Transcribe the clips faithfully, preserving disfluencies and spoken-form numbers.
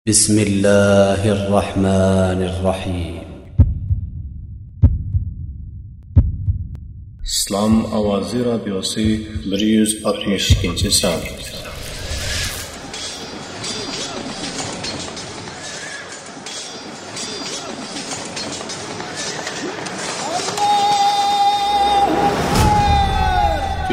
بسم الله الرحمن الرحيم. ئىسلام ئاۋازى رادىيوسى، بىر يۈز ئاتمىش ئىككىنچى سان.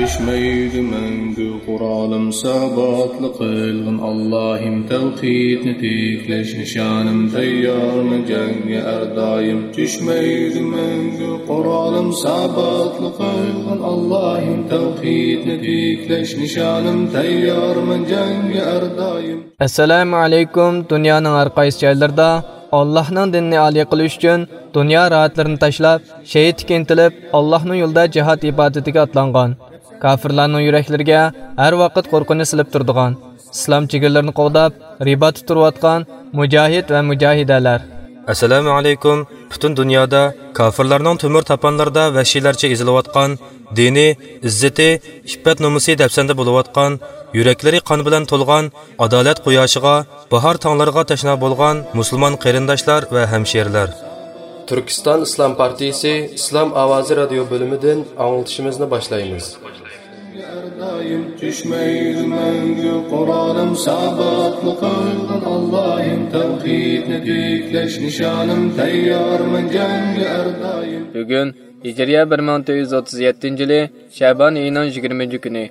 چۈشمەيدۇ مەڭگۈ قورالىم ساباتلىق قىلغىن ئاللاھىم، تەۋھىدنى تىكلەش نىشانىم، تەييارمەن جەڭگە ھەر دائىم. چۈشمەيدۇ مەڭگۈ قورالىم ساباتلىق قىلغىن ئاللاھىم، تەۋھىدنى تىكلەش نىشانىم، تەييارمەن جەڭگە ھەر دائىم. ئەسسالامۇ ئەلەيكۇم. دۇنيانىڭ ھەر قايسى جايلىرىدا ئاللاھنىڭ دىنىنى ئالىي قىلىش ئۈچۈن دۇنيا راھەتلىرىنى تاشلاپ، شېھىتلىككە ئىنتىلىپ، ئاللاھنىڭ يولىدا جىھاد ئىبادىتىگە ئاتلانغان، كاپىرلارنىڭ يۈرەكلىرىگە ھەر ۋاقىت قورقۇنچ سېلىپ تۇرىدىغان، ئىسلام چېگرىلىرىنى قوغداپ، رىباتتا تۇرۇۋاتقان مۇجاھىد ۋە مۇجاھىدەلەر. ئەسسالامۇ ئەلەيكۇم. پۈتۈن دۇنيادا كاپىرلارنىڭ تۆمۈر تاپانلىرىدا ۋەھشىيلەرچە ئېزىلىۋاتقان دىنى، ئىززىتى، ئىپپەت نومۇسى دەپسەندە بولۇۋاتقان، يۈرەكلىرى قان بىلەن تولغان، ئادالەت قۇياشىغا، باھار تاڭلىرىغا تەشنا بولغان مۇسۇلمان قېرىنداشلار ۋە ھەمشىرىلەر. تۈركىستان ئىسلام پارتىيىسى ئىسلام ئاۋازى رادىيو بۆلۈمىدىن ئاڭلىتىشىمىزنى باشلايمىز. ھەر دائىم چۈشمەيدۇ مەڭگۈ قورالىم ساباتلىق قىلغىن ئاللاھىم، تەۋھىدنى تىكلەش نىشانىم، تەييارمەن جەڭگە ھەر دائىم. بۈگۈن ھىجرىيە بىر مىڭ تۆت يۈز ئوتتۇز يەتتىنچى يىلى شەبان ئېيىنىڭ يىگىرمىنچى كۈنى،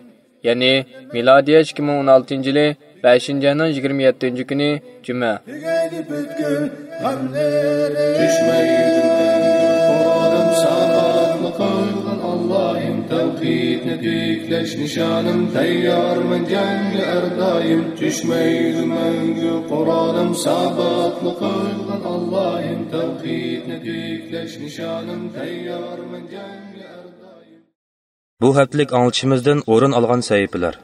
يەنى مىلادىيە ئىككى مىڭ ئون ئالتىنچى يىلى بەشىنچى ئاينىڭ يىگىرمە يەتتىنچى كۈنى جۈمە. تۈگەيدۇ پۈتكۈل غەملىرىم. چۈشمەيدۇ مەڭگۈ قورالىم ساباتلىق قىلغىن ئاللاھىم، تەۋھىدنى تىكلەش نىشانىم، تەييارمەن جەڭگە ھەر دائىم. چۈشمەيدۇ مەڭگۈ قورالىم ساباتلىق قىلغىن ئاللاھىم، تەۋھىدنى تىكلەش نىشانىم، تەييارمەن جەڭگە ھەر دائىم. بۇ ھەپتىلىك ئاڭلىتىشىمىزدىن ئورۇن ئالغان سەھىپىلەر.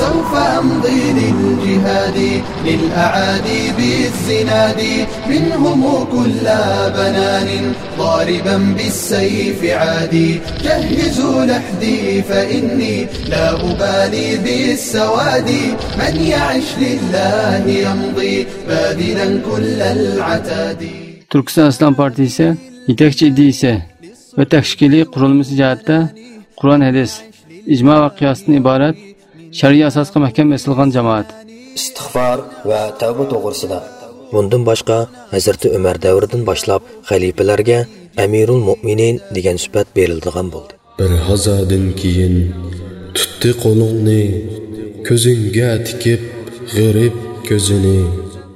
سوف أمضي للجهاد للأعادي بالزناد منهم كل بنان ضاربا بالسيف عادي جهزوا لحدي فإني لا أبالي بالسواد من يعش لله يمضي باذلا كل العتاد. تۈركىستان ئىسلام پارتىيىسى يېتەكچى ئىدىيىسى ۋە تەشكىلىي قۇرۇلمىسى جەھەتتە قۇرئان، ھەدىس، ئىجما ۋە قىياستىن ئىبارەت شەرئىي ئاساسقا مەھكەم ئېسىلغان جامائەت. ئىستىغپار ۋە تەۋبە توغرىسىدا. بۇندىن باشقا، ھەزرىتى ئۆمەر دەۋرىدىن باشلاپ خەلىپىلەرگە ئەمىرۇل مۆمىنىن دېگەن سۈپەت بېرىلىدىغان بولدى. بىر ھازادىن كېيىن تۇتتى قولۇڭنى، كۆزۈڭگە تىكىپ غېرىب كۆزىنى.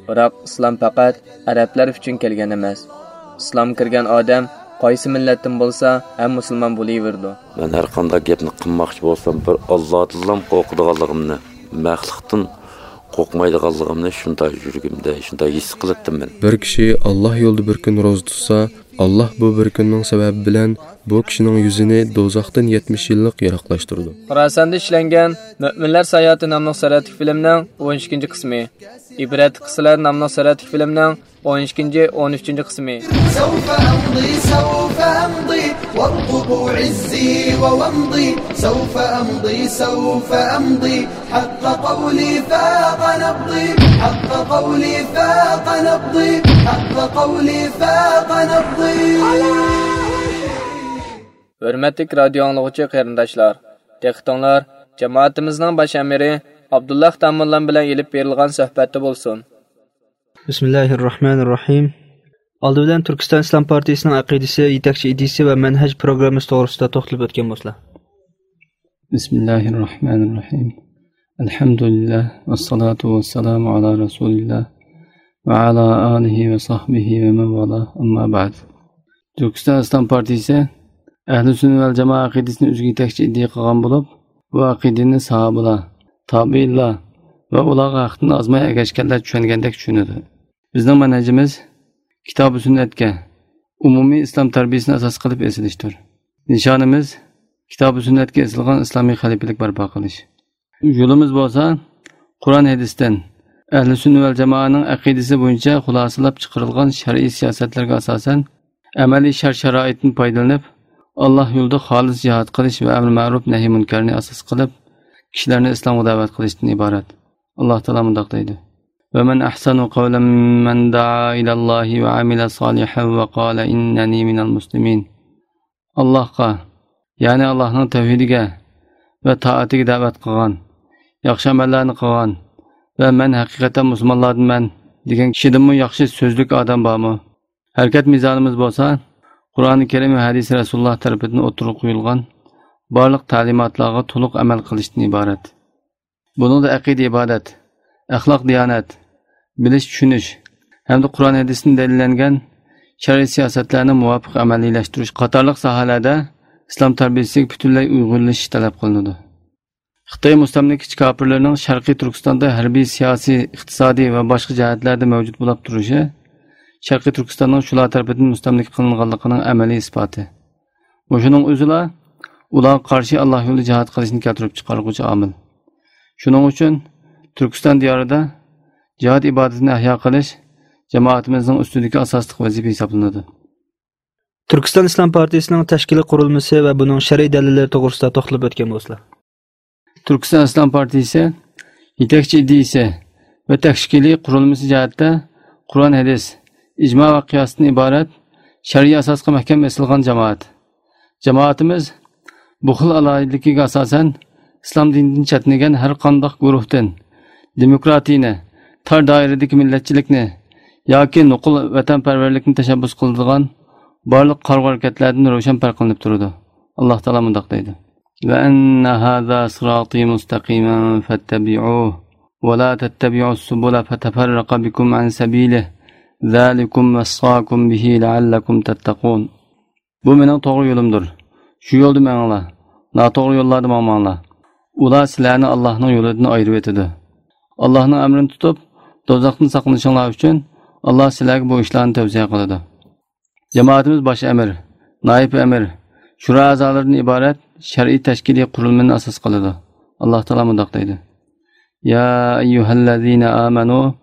بىراق ئىسلام پەقەت ئەرەبلەر ئۈچۈن كەلگەن ئەمەس. ئىسلامغا كىرگەن ئادەم قايسى مىللەتتىن بولسا ھەم مۇسۇلمان بولۇۋېرىدۇ. مەن ھەر قانداق گەپنى قىلماقچى بولسام، بىر ئاللادىنلا قورقىدىغانلىقىمنى، مەخلۇقتىن قورقمايدىغانلىقىمنى شۇنداق يۈرىكىمدە شۇنداق ھېس قىلاتتىم مەن. بىر كىشى ئاللا يولىدا بىر كۈن روزا تۇتسا، ئاللا بۇ بىر كۈننىڭ سەۋەبى بىلەن بۇ كىشىنىڭ يۈزىنى دوزاختىن يەتمىش يىللىق يىراقلاشتۇرىدۇ. خوراساندا ئىشلەنگەن مۆمىنلەر ساياھىتى ناملىق سۈرەتلىك فىلىمنىڭ ئون ئىككىنچى قىسمى، ئىبرەتلىك قىسسىلەر ناملىق سۈرەتلىك فىلىمنىڭ ئون ئىككىنچى، ئون ئۈچىنچى قىسمى. سوف أمضي، سوف أمضي، وارقبوا عزي وومضي. سوف أمضي، سوف أمضي، حق قولي فاق نبضي، حق قولي فاق نبضي، حق قولي فاق نبضي. ھۆرمەتلىك رادىيو ئاڭلىغۇچى قېرىنداشلار، دىققىتىڭلار جامائىتىمىزنىڭ باش ئەمىرى ئابدۇللا خىتاموللام بىلەن ئېلىپ بېرىلغان سۆھبەتتە بولسۇن. بىسمىللاھىررەھمانىررەھىم. ئالدى بىلەن تۈركىستان ئىسلام پارتىيىسىنىڭ ئەقىدىسى، يېتەكچى ئىدىيىسى ۋە مەنھەج پروگراممىسى توغرىسىدا توختىلىپ ئۆتكەن بولسىلا. بسم الله الرحمن الرحيم. الحمد لله والصلاة والسلام على رسول الله وعلى آله وصحبه ومن والاه، أما بعد. تۈركىستان ئىسلام پارتىيىسى ئەھلى سۈننە ۋەل جامائە ئەقىدىسىنى ئۆزىگە يېتەكچى ئىدىيە قىلغان بولۇپ، بۇ ئەقىدىنى ساھابىلار، تابىئىنلار ۋە ئۇلارغا ھەقتىن ئازماي ئەگەشكەنلەر چۈشەنگەندەك چۈشىنىدۇ. بىزنىڭ مەنھەجىمىز كىتابى سۈننەتكە، ئومۇمىي ئىسلام تەربىيىسىنى ئاساس قىلىپ ئېسىلىشتۇر. نىشانىمىز كىتابى سۈننەتكە ئېسىلغان ئىسلامىي خەلىپىلىك بەرپا قىلىش. يولىمىز بولسا قۇرئان ھەدىستىن، ئەھلى سۈننە ۋەل جامائەنىڭ ئەقىدىسى بويىچە خۇلاسىلەپ چىقىرىلغان شەرئىي سىياسەتلەرگە ئاساسەن، ئەمەلىي شەرت-شارائىتتىن پايدىلىنىپ، ئاللا يولىدا خالىس جىھاد قىلىش ۋە ئەمرى مەرۇپ نەھيى مۇنكەرنى ئاساس قىلىپ، كىشىلەرنى ئىسلامغا دەۋەت قىلىشتىن ئىبارەت. ئاللاھ تائالا مۇنداق دەيدۇ: ومن أحسن قولا ممن دعا إلى الله وعمل صالحا وقال إنني من المسلمين. ئاللاھقا، يەنى ئاللاھنىڭ تەۋھىدىگە ۋە تائىتىگە دەۋەت قىلغان، ياخشى ئەمەللەرنى قىلغان ۋە مەن ھەقىقەتەن مۇسۇلمانلاردىنمەن دېگەن كىشىدىنمۇ ياخشى سۆزلۈك ئادەم بارمۇ؟ ھەرىكەت مىزانىمىز بولسا قۇرئانى كەرىم ۋە ھەدىسى رەسۇلۇللاھ تەرىپىدىن ئوتتۇرىغا قويۇلغان بارلىق تەلىماتلارغا تولۇق ئەمەل قىلىشتىن ئىبارەت. بۇنىڭدا ئەقىدە-ئىبادەت، ئەخلاق-دىيانەت، بىلىش-چۈشىنىش ھەمدە قۇرئان ھەدىستىن دەلىللەنگەن شەرئىي سىياسەتلەرنى مۇۋاپىق ئەمەلىيلەشتۈرۈش قاتارلىق ساھەلەردە ئىسلام تەربىيەسىگە پۈتۈنلەي ئۇيغۇنلىشىش تەلەپ قىلىنىدۇ. خىتاي مۇستەملىكىچى كاپىرلىرىنىڭ شەرقىي تۈركىستاندا ھەربىي، سىياسىي، ئىقتىسادىي ۋە باشقا جەھەتلەردە مەۋجۇت بولاپ تۇرۇشى شەرقىي تۈركىستاننىڭ شۇلار تەرىپىدىن مۇستەملىكە قىلىنغانلىقىنىڭ ئەمەلىي ئىسپاتى. مۇشۇنىڭ ئۆزىلا ئۇلارغا قارشى ئاللاھ يولىدا جىھاد قىلىشنى كەلتۈرۈپ چىقارغۇچى ئامىل. شۇنىڭ ئۈچۈن تۈركىستان دىيارىدا جىھاد ئىبادىتىنى ئەھيا قىلىش جامائىتىمىزنىڭ ئۈستىدىكى ئاساسلىق ۋەزىپە ھېسابلىنىدۇ. تۈركىستان ئىسلام پارتىيىسىنىڭ تەشكىلىي قۇرۇلمىسى ۋە بۇنىڭ شەرئىي دەلىللىرى توغرىسىدا توختىلىپ ئۆتكەن بولسىلا. تۈركىستان ئىسلام پارتىيىسى يېتەكچى ئىدىيىسى ۋە تەشكىلىي قۇرۇلمىسى جەھەتتە قۇرئان، ھەدىس، ئىجما ۋە قىياستىن ئىبارەت شەرئىي ئاساسقا مەھكەم ئېسىلغان جامائەت. جامائىتىمىز بۇ خىل ئالاھىدىلىكىگە ئاساسەن، ئىسلام دىنىدىن چەتنىگەن ھەر قانداق گۇرۇھتىن، دېموكراتىيىنى، تار دائىرىدىكى مىللەتچىلىكنى ياكى نوقۇل ۋەتەنپەرۋەرلىكنى تەشەببۇس قىلىدىغان بارلىق قارىغۇ ھەرىكەتلەردىن روشەن پەرقلىنىپ تۇرىدۇ. ئاللاھ تائالا مۇنداق دەيدۇ: وأن هذا صراطي مستقيما فاتبعوه ولا تتبعوا السبل فتفرق بكم عن سبيله ذلكم وصاكم به لعلكم تتقون. بۇ مېنىڭ توغرا يولۇمدۇر. شۇ يولدا مېڭىڭلار. ناتوغرا يوللاردا ماڭماڭلار. ئۇلار سىلەرنى ئاللاھنىڭ يولىدىن ئايرىۋېتىدۇ. ئاللاھنىڭ ئەمرىنى تۇتۇپ، دوزاختىن ساقلىنىشىڭلار ئۈچۈن ئاللاھ سىلەرگە بۇ ئىشلارنى تەۋسىيە قىلىدۇ. جامائىتىمىز باش ئەمىر، نائىب ئەمىر، شورا ئەزالىرىدىن ئىبارەت شەرئىي تەشكىلىي قۇرۇلمىنى ئاساس قىلىدۇ. ئاللاھ تائالا مۇنداق دەيدۇ: يا أيها الذين آمنوا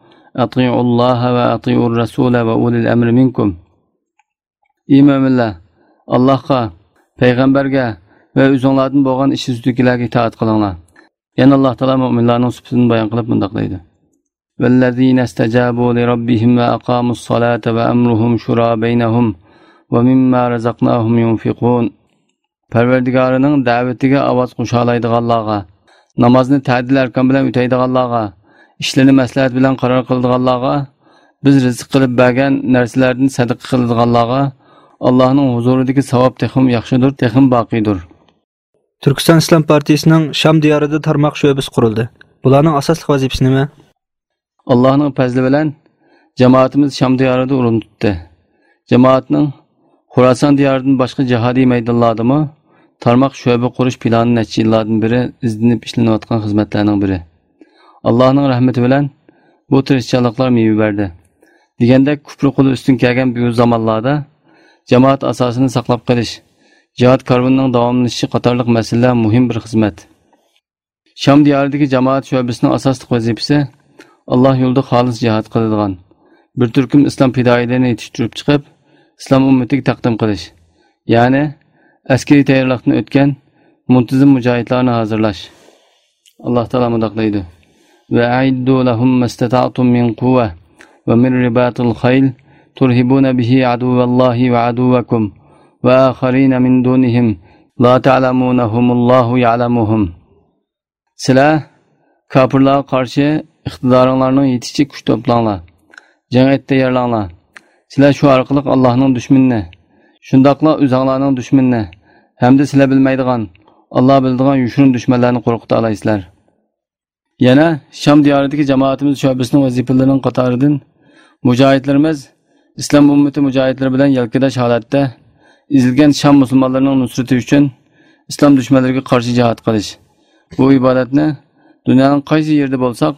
أطيعوا الله وأطيعوا الرسول وأولي الأمر منكم. ئى مۆمىنلەر، ئاللاھقا، پەيغەمبەرگە ۋە ئۆزۈڭلاردىن بولغان ئىش ئۈستىدىكىلەرگە ئىتائەت قىلىڭلار. يەنە ئاللاھ تائالا مۆمىنلارنىڭ سۈپىتىنى بايان قىلىپ مۇنداق دەيدۇ: والذين استجابوا لربهم وأقاموا الصلاة وأمرهم شورى بينهم ومما رزقناهم ينفقون. پەرۋەردىگارىنىڭ دەۋىتىگە ئاۋاز قوشالايدىغانلارغا، نامازنى تەدىل ئەركان بىلەن ئۆتەيدىغانلارغا، ئىشلىرىنى مەسلىھەت بىلەن قارار قىلىدىغانلارغا بىز رىزىق قىلىپ بەرگەن نەرسىلەردىن سەدىقە قىلىدىغانلارغا ئاللاھنىڭ ھۇزۇرىدىكى ساۋاب تېخىمۇ ياخشىدۇر، تېخىمۇ باقىيدۇر. تۈركىستان ئىسلام پارتىيىسىنىڭ شام دىيارىدا تارماق شۆبىسى قۇرۇلدى. بۇلارنىڭ ئاساسلىق ۋەزىپىسى نېمە؟ ئاللاھنىڭ پەزلى بىلەن جامائىتىمىز شام دىيارىدا ئورۇن تۇتتى. جامائەتنىڭ خوراسان دىيارىدىن باشقا جىھادىي مەيدانلاردىمۇ تارماق شۆبە قۇرۇش پىلانى نەچچە يىللاردىن بېرى ئىزدىنىپ ئىشلىنىۋاتقان خىزمەتلەرنىڭ بىرى. ئاللاھنىڭ رەھمىتى بىلەن بۇ تىرىشچانلىقلار مېۋە بەردى. دېگەندەك، كۇپر قولى ئۈستۈن كەلگەن بۇ زامانلاردا جامائەت ئاساسىنى ساقلاپ قېلىش، جىھاد كارۋىنىنىڭ داۋاملىشىشى قاتارلىق مەسىلىلەر مۇھىم بىر خىزمەت. شام دىيارىدىكى جامائەت شۆبىسىنىڭ ئاساسلىق ۋەزىپىسى ئاللاھ يولىدا خالىس جىھاد قىلىدىغان بىر تۈركۈم ئىسلام پىدائىيلىرىنى يېتىشتۈرۈپ چىقىپ، ئىسلام ئۈممىتىگە تەقدىم قىلىش، يەنى ئەسكىرىي تەييارلىقتىن ئۆتكەن مۇنتىزىم مۇجاھىدلارنى ھازىرلاش. ئاللاھ تائالا مۇنداق دەيدۇ: وأعدوا لهم ما استطعتم من قوة ومن رباط الخيل ترهبون به عدو الله وعدوكم وآخرين من دونهم لا تعلمونهم الله يعلمهم. سىلەر كاپىرلارغا قارشى ئىقتىدارىڭلارنىڭ يېتىشىچە كۈچ توپلاڭلار، جەڭ ئېتى تەييارلاڭلار. سىلەر شۇ ئارقىلىق ئاللاھنىڭ دۈشمىنىنى، شۇنداقلا ئۆزۈڭلارنىڭ دۈشمىنىنى ھەمدە سىلەر بىلمەيدىغان، ئاللاھ بىلىدىغان يوشۇرۇن دۈشمەنلەرنى قورقۇتالايسىلەر. يەنە شام دىيارىدىكى جامائىتىمىز شۆبىسىنىڭ ۋەزىپىلىرىنىڭ قاتارىدىن مۇجاھىدلىرىمىز ئىسلام ئۈممىتى مۇجاھىدلىرى بىلەن يەلكىداش ھالەتتە ئېزىلگەن شام مۇسۇلمانلىرىنىڭ نۇسرىتى ئۈچۈن ئىسلام دۈشمەنلىرىگە قارشى جىھاد قىلىش. بۇ ئىبادەتنى دۇنيانىڭ قايسى يېرىدە بولساق،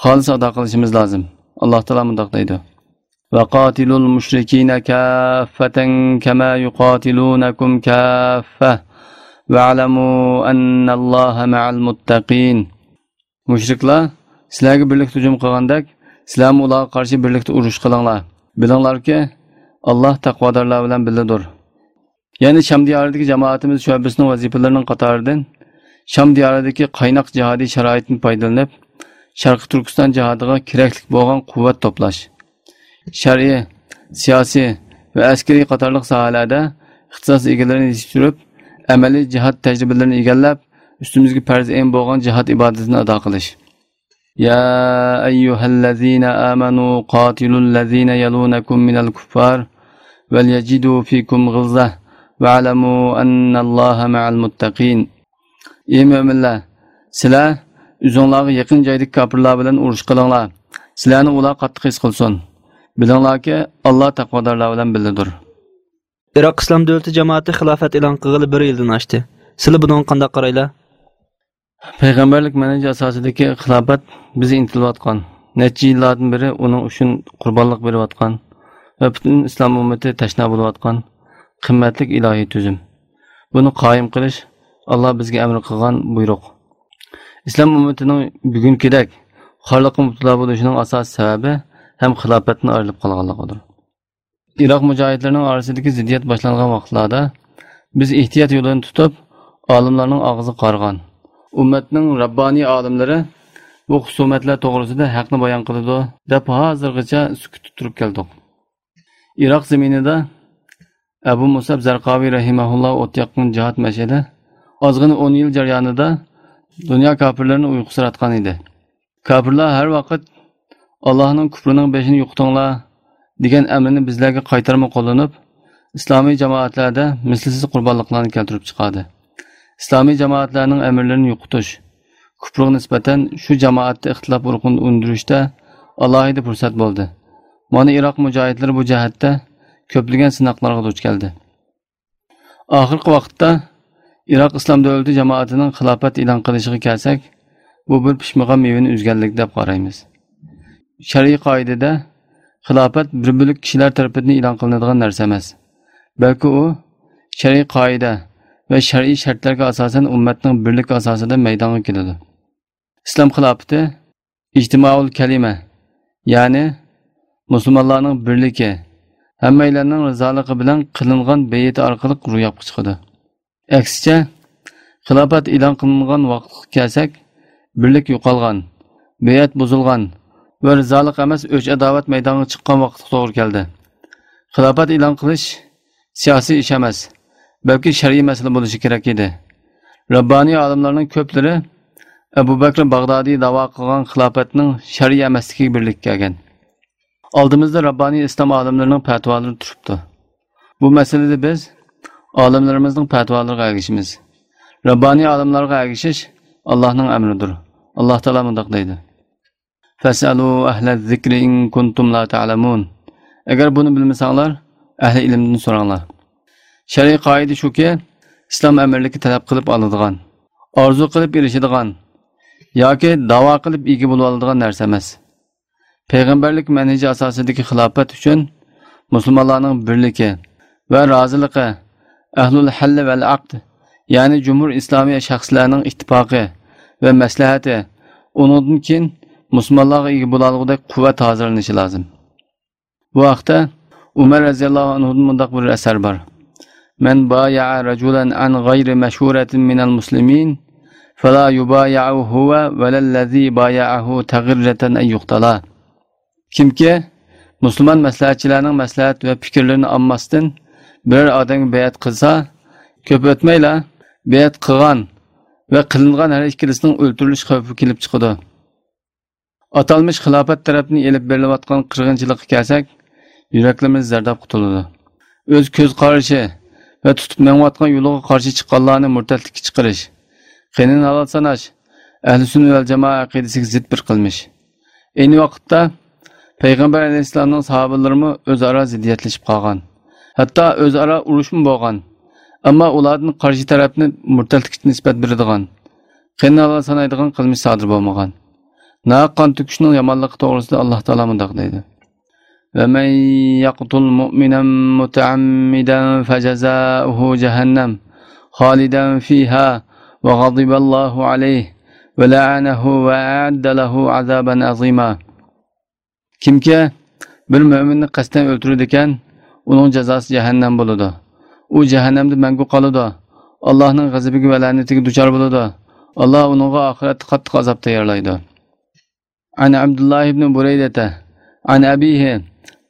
خالىس ئادا قىلىشىمىز لازىم. ئاللاھ تائالا مۇنداق دەيدۇ: وقاتلوا المشركين كافة كما يقاتلونكم كافة واعلموا أن الله مع المتقين. مۇشرىكلار سىلەرگە بىرلىكتە ھۇجۇم قىلغاندەك، سىلەرمۇ ئۇلارغا قارشى بىرلىكتە ئۇرۇش قىلىڭلار. بىلىڭلاركى، ئاللاھ تەقۋادارلار بىلەن بىللىدۇر. يەنە شام دىيارىدىكى جامائىتىمىز شۆبىسىنىڭ ۋەزىپىلىرىنىڭ قاتارىدىن شام دىيارىدىكى قايناق جىھادىي شارائىتتىن پايدىلىنىپ، شەرقىي تۈركىستان جىھادىغا كېرەكلىك بولغان قۇۋۋەت توپلاش، شەرئىي، سىياسىي ۋە ئەسكىرىي قاتارلىق ساھەلەردە ئىختىساس ئىگىلىرىنى يېتىشتۈرۈپ، ئەمەلىي جىھاد تەجرىبىلىرىنى ئىگىلەپ، ئۈستىمىزگە پەرز ئەين بولغان جىھاد ئىبادىتىنى ئادا قىلىش. يا أيها الذين آمنوا قاتلوا الذين يلونكم من الكفار وليجدوا فيكم غلظة واعلموا أن الله مع المتقين. ئى مۆمىنلەر، سىلەر ئۆزۈڭلارغا يېقىن جايدىكى كاپىرلار بىلەن ئۇرۇش قىلىڭلار. سىلەرنى ئۇلار قاتتىق ھېس قىلسۇن. بىلىڭلاركى، ئاللا تەقۋادارلار بىلەن بىللىدۇر. ئىراق ئىسلام دۆلىتى جامائىتى خىلاپەت ئېلان قىلغىلى بىر يىلدىن ئاشتى. سىلەر بۇنىڭغا قانداق قارايلا؟ پەيغەمبەرلىك مەنھىجى ئاساسىدىكى خىلاپەت بىز ئىنتىلىۋاتقان، نەچچە يىللاردىن بېرى ئۇنىڭ ئۈچۈن قۇربانلىق بېرىۋاتقان ۋە پۈتۈن ئىسلام ئۈممىتى تەشنا بولۇۋاتقان قىممەتلىك ئىلاھىي تۈزۈم. بۇنى قايىم قىلىش ئاللا بىزگە ئەمر قىلغان بۇيرۇق. ئىسلام ئۈممىتىنىڭ بۈگۈنكىدەك خارلىققا مۇپتىلا بولۇشىنىڭ ئاساسىي سەۋەبى ھەم خىلاپەتتىن ئايرىلىپ قالغانلىقىدۇر. ئىراق مۇجاھىدلىرىنىڭ ئارىسىدىكى زىددىيەت باشلانغان ۋاقىتلاردا بىز ئېھتىيات يولىنى تۇتۇپ، ئالىملارنىڭ ئاغزىغا قارىغان. ئۈممەتنىڭ رەببانىي ئالىملىرى بۇ خۇسۇمەتلەر توغرىسىدا ھەقنى بايان قىلىدۇ، دەپ ھازىرغىچە سۈكۈتتە تۇرۇپ كەلدۇق. ئىراق زېمىنىدا ئەبۇ مۇسئەب زەرقاۋى رەھىمەھۇللا ئوت ياققان جىھاد مەشئىدى ئازغىنە ئون يىل جەريانىدا دۇنيا كاپىرلىرىنى ئۇيقۇسىراتقان ئىدى. كاپىرلار ھەر ۋاقىت «ئاللاھنىڭ كۇپرىنىڭ بېشىنى يوقىتىڭلار» دېگەن ئەمرىنى بىزلەرگە قايتارما قوللىنىپ، ئىسلامىي جامائەتلەردە مىسلىسىز قۇربانلىقلارنى كەلتۈرۈپ چىقاردى. ئىسلامىي جامائەتلەرنىڭ ئەمىرلىرىنى يوقىتىش، كۇپرىغا نىسبەتەن شۇ جامائەتتە ئىختىلاپ ئۇرۇقىنى ئۈندۈرۈشتە ئالاھىدە پۇرسەت بولدى. مانا ئىراق مۇجاھىدلىرى بۇ جەھەتتە كۆپلىگەن سىناقلارغا دۇچ كەلدى. ئاخىرقى ۋاقىتتا ئىراق ئىسلام دۆلىتى جامائىتىنىڭ خىلاپەت ئېلان قىلىشىغا كەلسەك، بۇ بىر پىشمىغان مېۋىنى ئۈزگەنلىك دەپ قارايمىز. شەرئىي قائىدىدە خىلاپەت بىر بۆلەك كىشىلەر تەرىپىدىن ئېلان قىلىنىدىغان نەرسە ئەمەس، بەلكى ئۇ شەرئىي قائىدە ۋە شەرئىي شەرتلەرگە ئاساسەن ئۈممەتنىڭ بىرلىكى ئاساسىدا مەيدانغا كېلىدۇ. ئىسلام خىلاپىتى ئىجتىمائۇل كەلىمە، يەنى مۇسۇلمانلارنىڭ بىرلىكى، ھەممەيلەننىڭ رىزالىقى بىلەن قىلىنغان بەيئىتى ئارقىلىق روياپقا چىقىدۇ. ئەكسىچە، خىلاپەت ئېلان قىلىنغان ۋاقىتقا كەلسەك، بىرلىك يوقالغان، بەيئەت بۇزۇلغان ۋە رىزالىق ئەمەس ئۆچ-ئاداۋەت مەيدانغا چىققان ۋاقىتقا توغرا كەلدى. خىلاپەت ئېلان قىلىش سىياسىي ئىش ئەمەس، بەلكى شەرئىي مەسىلە بولۇشى كېرەك ئىدى. رەببانىي ئالىملارنىڭ كۆپلىرى ئەبۇ بەكرى باغدادىي داۋا قىلغان خىلاپەتنىڭ شەرئىي ئەمەسلىكىگە بىرلىككە كەلگەن. ئالدىمىزدا رەببانىي ئىسلام ئالىملىرىنىڭ پەتىۋالىرى تۇرۇپتۇ. بۇ مەسىلىدە بىز ئالىملىرىمىزنىڭ پەتىۋالىرىغا ئەگىشىمىز. رەببانىي ئالىملارغا ئەگىشىش ئاللاھنىڭ ئەمرىدۇر. ئاللاھ تائالا مۇنداق دەيدۇ: فاسألوا أهل الذكر إن كنتم لا تعلمون. ئەگەر بۇنى بىلمىسەڭلار، ئەھلى ئىلىمدىن سوراڭلار. شەرئىي قائىدە شۇكى، ئىسلام ئەمىرلىكى تەلەپ قىلىپ ئالىدىغان، ئارزۇ قىلىپ ئېرىشىدىغان ياكى داۋا قىلىپ ئىگە بولۇۋالىدىغان نەرسە ئەمەس. پەيغەمبەرلىك مەنھىجى ئاساسىدىكى خىلاپەت ئۈچۈن مۇسۇلمانلارنىڭ بىرلىكى ۋە رازىلىقى، ئەھلۇل ھەللى ۋەل ئەقد، يەنى جۇمھۇر ئىسلامىي شەخسلەرنىڭ ئىتتىپاقى ۋە مەسلىھەتى، ئۇنىڭدىن كېيىن مۇسۇلمانلارغا ئىگە بولالىغۇدەك قۇۋۋەت ھازىرلىنىشى لازىم. بۇ ھەقتە ئۆمەر رەزىياللاھۇ ئەنھۇدىن مۇنداق بىر ئەسەر بار: من بايع رجلا عن غير مشورة من المسلمين فلا يبايعه هو ولا الذي بايعه تغرة أن يقتلا. كىمكى مۇسۇلمان مەسلىھەتچىلەرنىڭ مەسلىھەت ۋە پىكىرلىرىنى ئالماستىن بىرەر ئادەمگە بەيئەت قىلسا، كۆپ ئۆتمەيلا بەيئەت قىلغان ۋە قىلىنغان ھەر ئىككىلىسىنىڭ ئۆلتۈرۈلۈش خەۋپى كېلىپ چىقىدۇ. ئاتالمىش خىلاپەت تەرەپتىن ئېلىپ بېرىلىۋاتقان قىرغىنچىلىققا كەلسەك، يۈرەكلىرىمىز زەردابقا تولىدۇ. ئۆز كۆز قارىشى ۋە تۇتۇپ مېڭىۋاتقان يولىغا قارشى چىققانلارنى مۇرتەتلىككە چىقىرىش، قېنىنى ھالال ساناش ئەھلى سۈننە ۋەل جامائە ئەقىدىسىگە زىت بىر قىلمىش. ئەينى ۋاقىتتا پەيغەمبەر ئەلەيھىسسالامنىڭ ساھابىلىرىمۇ ئۆزئارا زىددىيەتلىشىپ قالغان. ھەتتا ئۆزئارا ئۇرۇشمۇ بولغان. ئەمما ئۇلاردىن قارشى تەرەپنى مۇرتەتلىككە نىسبەت بېرىدىغان، قېنىنى ھالال سانايدىغان قىلمىش سادىر بولمىغان. ناھەق قان تۆكۈشنىڭ يامانلىقى توغرىسىدا ئاللاھ تائالا مۇنداق دەيدۇ: ومن يقتل مؤمنا متعمدا فجزاؤه جهنم خالدا فيها وغضب الله عليه ولعنه وأعد له عذابا عظيما. كىمكى بىر مۆمىننى قەستەن ئۆلتۈرىدىكەن، ئۇنىڭ جازاسى جەھەننەم بولىدۇ. ئۇ جەھەننەمدە مەڭگۈ قالىدۇ. ئاللاھنىڭ غەزىپىگە ۋە لەنىتىگە دۇچار بولىدۇ. ئاللاھ ئۇنىڭغا ئاخىرەتتە قاتتىق ئازاب تەييارلايدۇ. عن عبد الله بن بريدة عن أبيه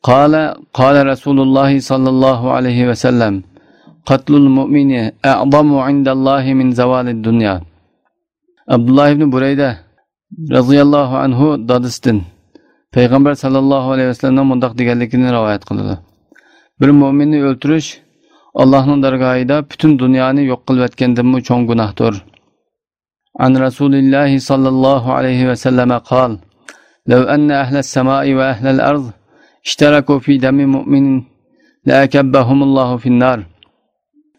قال: قال رسول الله صلى الله عليه وسلم: قتل المؤمن أعظم عند الله من زوال الدنيا. ئابدۇللا ئىبنى بۇرەيدە رەزىياللاھۇ ئەنھۇ دادىسىدىن پەيغەمبەر ساللاللاھۇ ئەلەيھى ۋەسەللەمنىڭ مۇنداق دېگەنلىكىنى رىۋايەت قىلىدۇ: بىر مۆمىننى ئۆلتۈرۈش ئاللاھنىڭ دەرگاھىدا پۈتۈن دۇنيانى يوق قىلىۋەتكەندىنمۇ چوڭ گۇناھتۇر. عن رسول الله صلى الله عليه وسلم قال: لو أن أهل السماء وأهل الأرض اشتركوا في دم مؤمن لأكبهم الله في النار.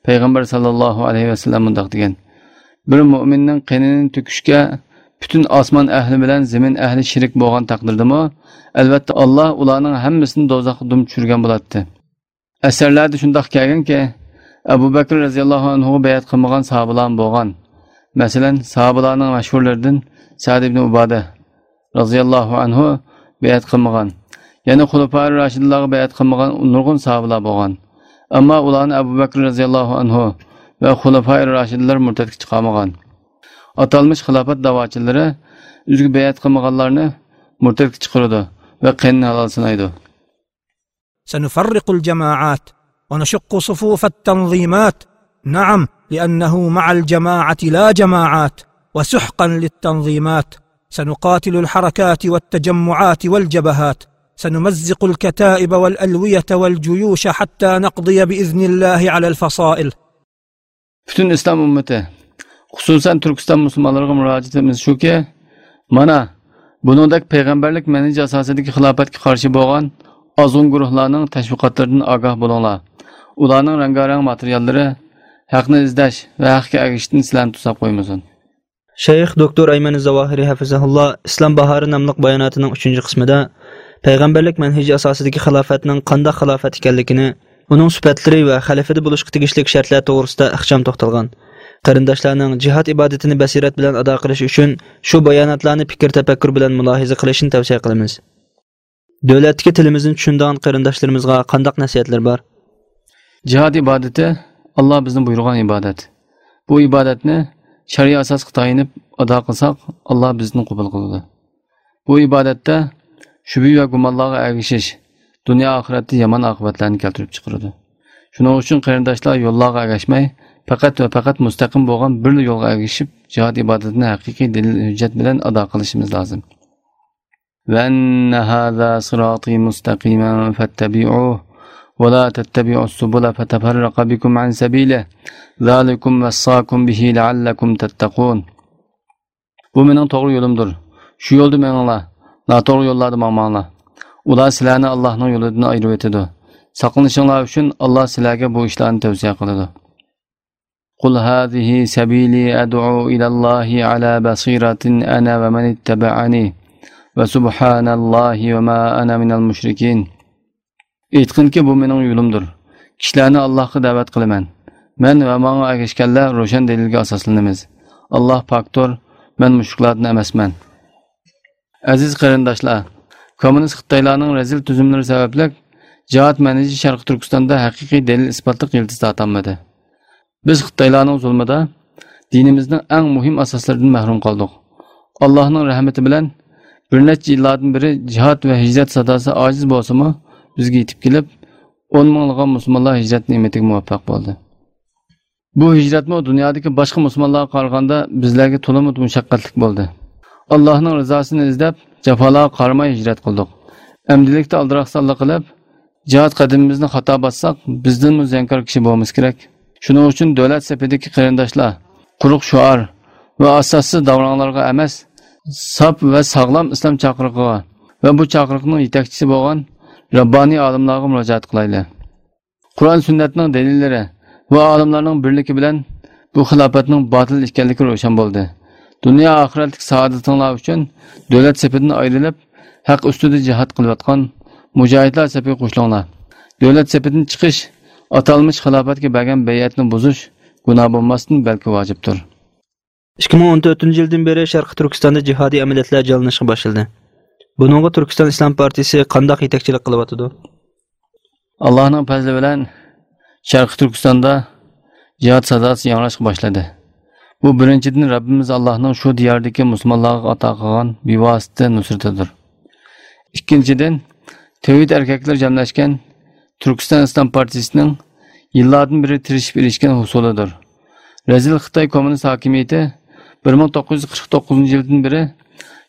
پەيغەمبەر ساللاللاھۇ ئەلەيھى ۋەسەللەم مۇنداق دېگەن: بىر مۆمىننىڭ قېنىنى تۆكۈشكە پۈتۈن ئاسمان ئەھلى بىلەن زېمىن ئەھلى شېرىك بولغان تەقدىردىمۇ، ئەلۋەتتە، ئاللاھ ئۇلارنىڭ ھەممىسىنى دوزاخقا دۈم چۈشۈرگەن بولاتتى. ئەسەرلەردە شۇنداق كەلگەنكى، ئەبۇ بەكرى رەزىياللاھۇ ئەنھۇغا بەيئەت قىلمىغان ساھابىلارمۇ بولغان. مەسىلەن، ساھابىلارنىڭ مەشھۇرلىرىدىن سەئد ئىبنى ئۇبادە رەزىياللاھۇ ئەنھۇ بەيئەت قىلمىغان. يەنە خۇلەپائىر راشىدىنلارغا بەيئەت قىلمىغان نۇرغۇن ساھابىلار بولغان. ئەمما ئۇلارنى ئەبۇ بەكرى رەزىياللاھۇ ئەنھۇ ۋە خۇلەپائىر راشىدىنلار مۇرتەتكە چىقارمىغان. ئاتالمىش خىلاپەت داۋاچىلىرى ئۆزىگە بەيئەت قىلمىغانلارنى مۇرتەتكە چىقىرىدۇ ۋە قېنىنى ھالال سانايدۇ. سنفرق الجماعات ونشق صفوف التنظيمات. نعم، لأنه مع الجماعة لا جماعات، وسحقا للتنظيمات. سنقاتل الحركات والتجمعات والجبهات. سنمزق الكتائب والألوية والجيوش حتى نقضي بإذن الله على الفصائل. پۈتۈن ئىسلام ئۈممىتى، خۇسۇسەن تۈركىستان مۇسۇلمانلىرىغا مۇراجىئىتىمىز شۇكى، مانا، بۇنىڭدەك پەيغەمبەرلىك مەنھىجى ئاساسىدىكى خىلاپەتكە قارشى بولغان ئازغۇن گۇرۇھلارنىڭ تەشۋىقاتلىرىدىن ئاگاھ بولۇڭلار. ئۇلارنىڭ رەڭگارەڭ ماتېرىياللىرى ھەقنى ئىزدەش ۋە ھەققە ئەگىشىشتىن سىلەرنى توساپ قويمىسۇن. شەيخ دوكتور ئەيمەن زاۋاھىرى ھەفىزەھۇللا ئىسلام باھارى ناملىق باياناتىنىڭ ئۈچىنچى قىسمىدا پەيغەمبەرلىك مەنھىجى ئاساسىدىكى خىلاپەتنىڭ قانداق خىلاپەت ئىكەنلىكىنى، ئۇنىڭ سۈپەتلىرى ۋە خەلىپىدە بولۇشقا تېگىشلىك شەرتلەر توغرىسىدا ئىخچام توختالغان. قېرىنداشلارنىڭ جىھاد ئىبادىتىنى بەسىرەت بىلەن ئادا قىلىشى ئۈچۈن شۇ باياناتلارنى پىكىر تەپەككۇر بىلەن مۇلاھىزە قىلىشىنى تەۋسىيە قىلىمىز. دۆلەتتىكى تىلىمىزنى چۈشىنىدىغان قېرىنداشلىرىمىزغا قانداق نەسىھەتلىرى بار؟ جىھاد ئىبادىتى ئاللا بىزنى بۇيرۇغان ئىبادەت. بۇ ئىبادەتنى شەرئىي ئاساسقا تايىنىپ ئادا قىلساق، ئاللا بىزدىن قوبۇل قىلىدۇ. بۇ ئىبادەتتە شۈبھە ۋە گۇمانلارغا ئەگىشىش دۇنيا ئاخىرەتتە يامان ئاقىۋەتلەرنى كەلتۈرۈپ چىقىرىدۇ. شۇنىڭ ئۈچۈن قېرىنداشلار يوللارغا ئەگەشمەي، پەقەت ۋە پەقەت مۇستەقىم بولغان بىرلا يولغا ئەگىشىپ، جىھاد ئىبادىتىنى ھەقىقىي دەلىل ھۆججەت بىلەن ئادا قىلىشىمىز لازىم. وأن هذا صراطي مستقيما فاتبعوه ولا تتبعوا السبل فتفرق بكم عن سبيله ذلكم وصاكم به لعلكم تتقون. بۇ مېنىڭ توغرا يولۇمدۇر. شۇ يولدا مېڭىڭلار. ناتوغرا يوللاردا ماڭماڭلار. ئۇلار سىلەرنى ئاللاھنىڭ يولىدىن ئايرىۋېتىدۇ. ساقلىنىشىڭلار ئۈچۈن ئاللاھ سىلەرگە بۇ ئىشلارنى تەۋسىيە قىلىدۇ. قل هذه سبيلي أدعو إلى الله على بصيرة أنا ومن اتبعني وسبحان الله وما أنا من المشركين. ئېيتقىنكى، بۇ مېنىڭ يولۇمدۇر. كىشىلەرنى ئاللاھقا دەۋەت قىلىمەن. مەن ۋە ماڭا ئەگەشكەنلەر روشەن دەلىلگە ئاساسلىنىمىز. ئاللاھ پاكتۇر، مەن مۇشرىكلاردىن ئەمەسمەن. ئەزىز قېرىنداشلار، كوممۇنىست خىتايلارنىڭ رەزىل تۈزۈملىرى سەۋەبلىك جىھاد مەنھىجى شەرقىي تۈركىستاندا ھەقىقىي دەلىل ئىسپاتلىق يىلتىز تارتالمىدى. بىز خىتايلارنىڭ زۇلمىدا دىنىمىزنىڭ ئەڭ مۇھىم ئاساسلىرىدىن مەھرۇم قالدۇق. ئاللاھنىڭ رەھمىتى بىلەن بىر نەچچە يىللاردىن بېرى جىھاد ۋە ھىجرەت ساداسى ئاجىز بولسىمۇ، بىزگە يېتىپ كېلىپ، ئون مىڭلىغان مۇسۇلمانلار ھىجرەت نېمىتىگە مۇۋەپپەق بولدى. بۇ ھىجرەتمۇ دۇنيادىكى باشقا مۇسۇلمانلارغا قارىغاندا بىزلەرگە تولىمۇ مۇشەققەتلىك بولدى. ئاللاھنىڭ رىزاسىنى ئىزدەپ، جاپالارغا قارىماي ھىجرەت قىلدۇق. ئەمدىلىكتە ئالدىراقسانلىق قىلىپ، جىھاد قەدىمىمىزنى خاتا باسساق، بىزدىنمۇ زىيانكار كىشى بولمىسا كېرەك. شۇنىڭ ئۈچۈن دۆلەت سېپىدىكى قېرىنداشلار قۇرۇق شوئار ۋە ئاساسسىز داۋراڭلارغا ئەمەس، ساپ ۋە ساغلام ئىسلام چاقىرىقىغا ۋە بۇ چاقىرىقنىڭ يېتەكچىسى بولغان رەببانىي ئالىملارغا مۇراجىئەت قىلايلى. قۇرئان سۈننەتنىڭ دەلىللىرى ۋە ئالىملارنىڭ بىرلىكى بىلەن بۇ خىلاپەتنىڭ باتىل ئىكەنلىكى روشەن بولدى. دۇنيا ئاخىرەتلىك سائادىتىڭلار ئۈچۈن دۆلەت سېپىدىن ئايرىلىپ، ھەق ئۈستىدە جىھاد قىلىۋاتقان مۇجاھىدلار سېپىگە قوشۇلۇڭلار. دۆلەت سېپىدىن چىقىش ئاتالمىش خىلاپەتكە بەرگەن بەيئەتنى بۇزۇش گۇناھ بولماستىن، بەلكى ۋاجىپتۇر. ئىككى مىڭ ئون تۆتىنچى يىلدىن بېرى شەرقىي تۈركىستاندا جىھادىي ئەمەلىيەتلەر جانلىنىشقا باشلىدى. بۇنىڭغا تۈركىستان ئىسلام پارتىيىسى قانداق يېتەكچىلىك قىلىۋاتىدۇ؟ ئاللاھنىڭ پەزلى بىلەن شەرقىي تۈركىستاندا جىھاد ساداسى ياڭراشقا باشلىدى. بۇ بىرىنچىدىن، رەببىمىز ئاللاھنىڭ شۇ دىياردىكى مۇسۇلمانلارغا ئاتا قىلغان بىۋاسىتە نۇسرىتىدۇر. ئىككىنچىدىن، تەۋھىد ئەركەكلىرى جەملەشكەن تۈركىستان ئىسلام پارتىيىسىنىڭ يىللاردىن بېرى تىرىشىپ ئېرىشكەن ھوسۇلىدۇر. رەزىل خىتاي كوممۇنىست ھاكىمىيىتى بىر مىڭ توققۇز يۈز قىرىق توققۇزىنچى يىلدىن بېرى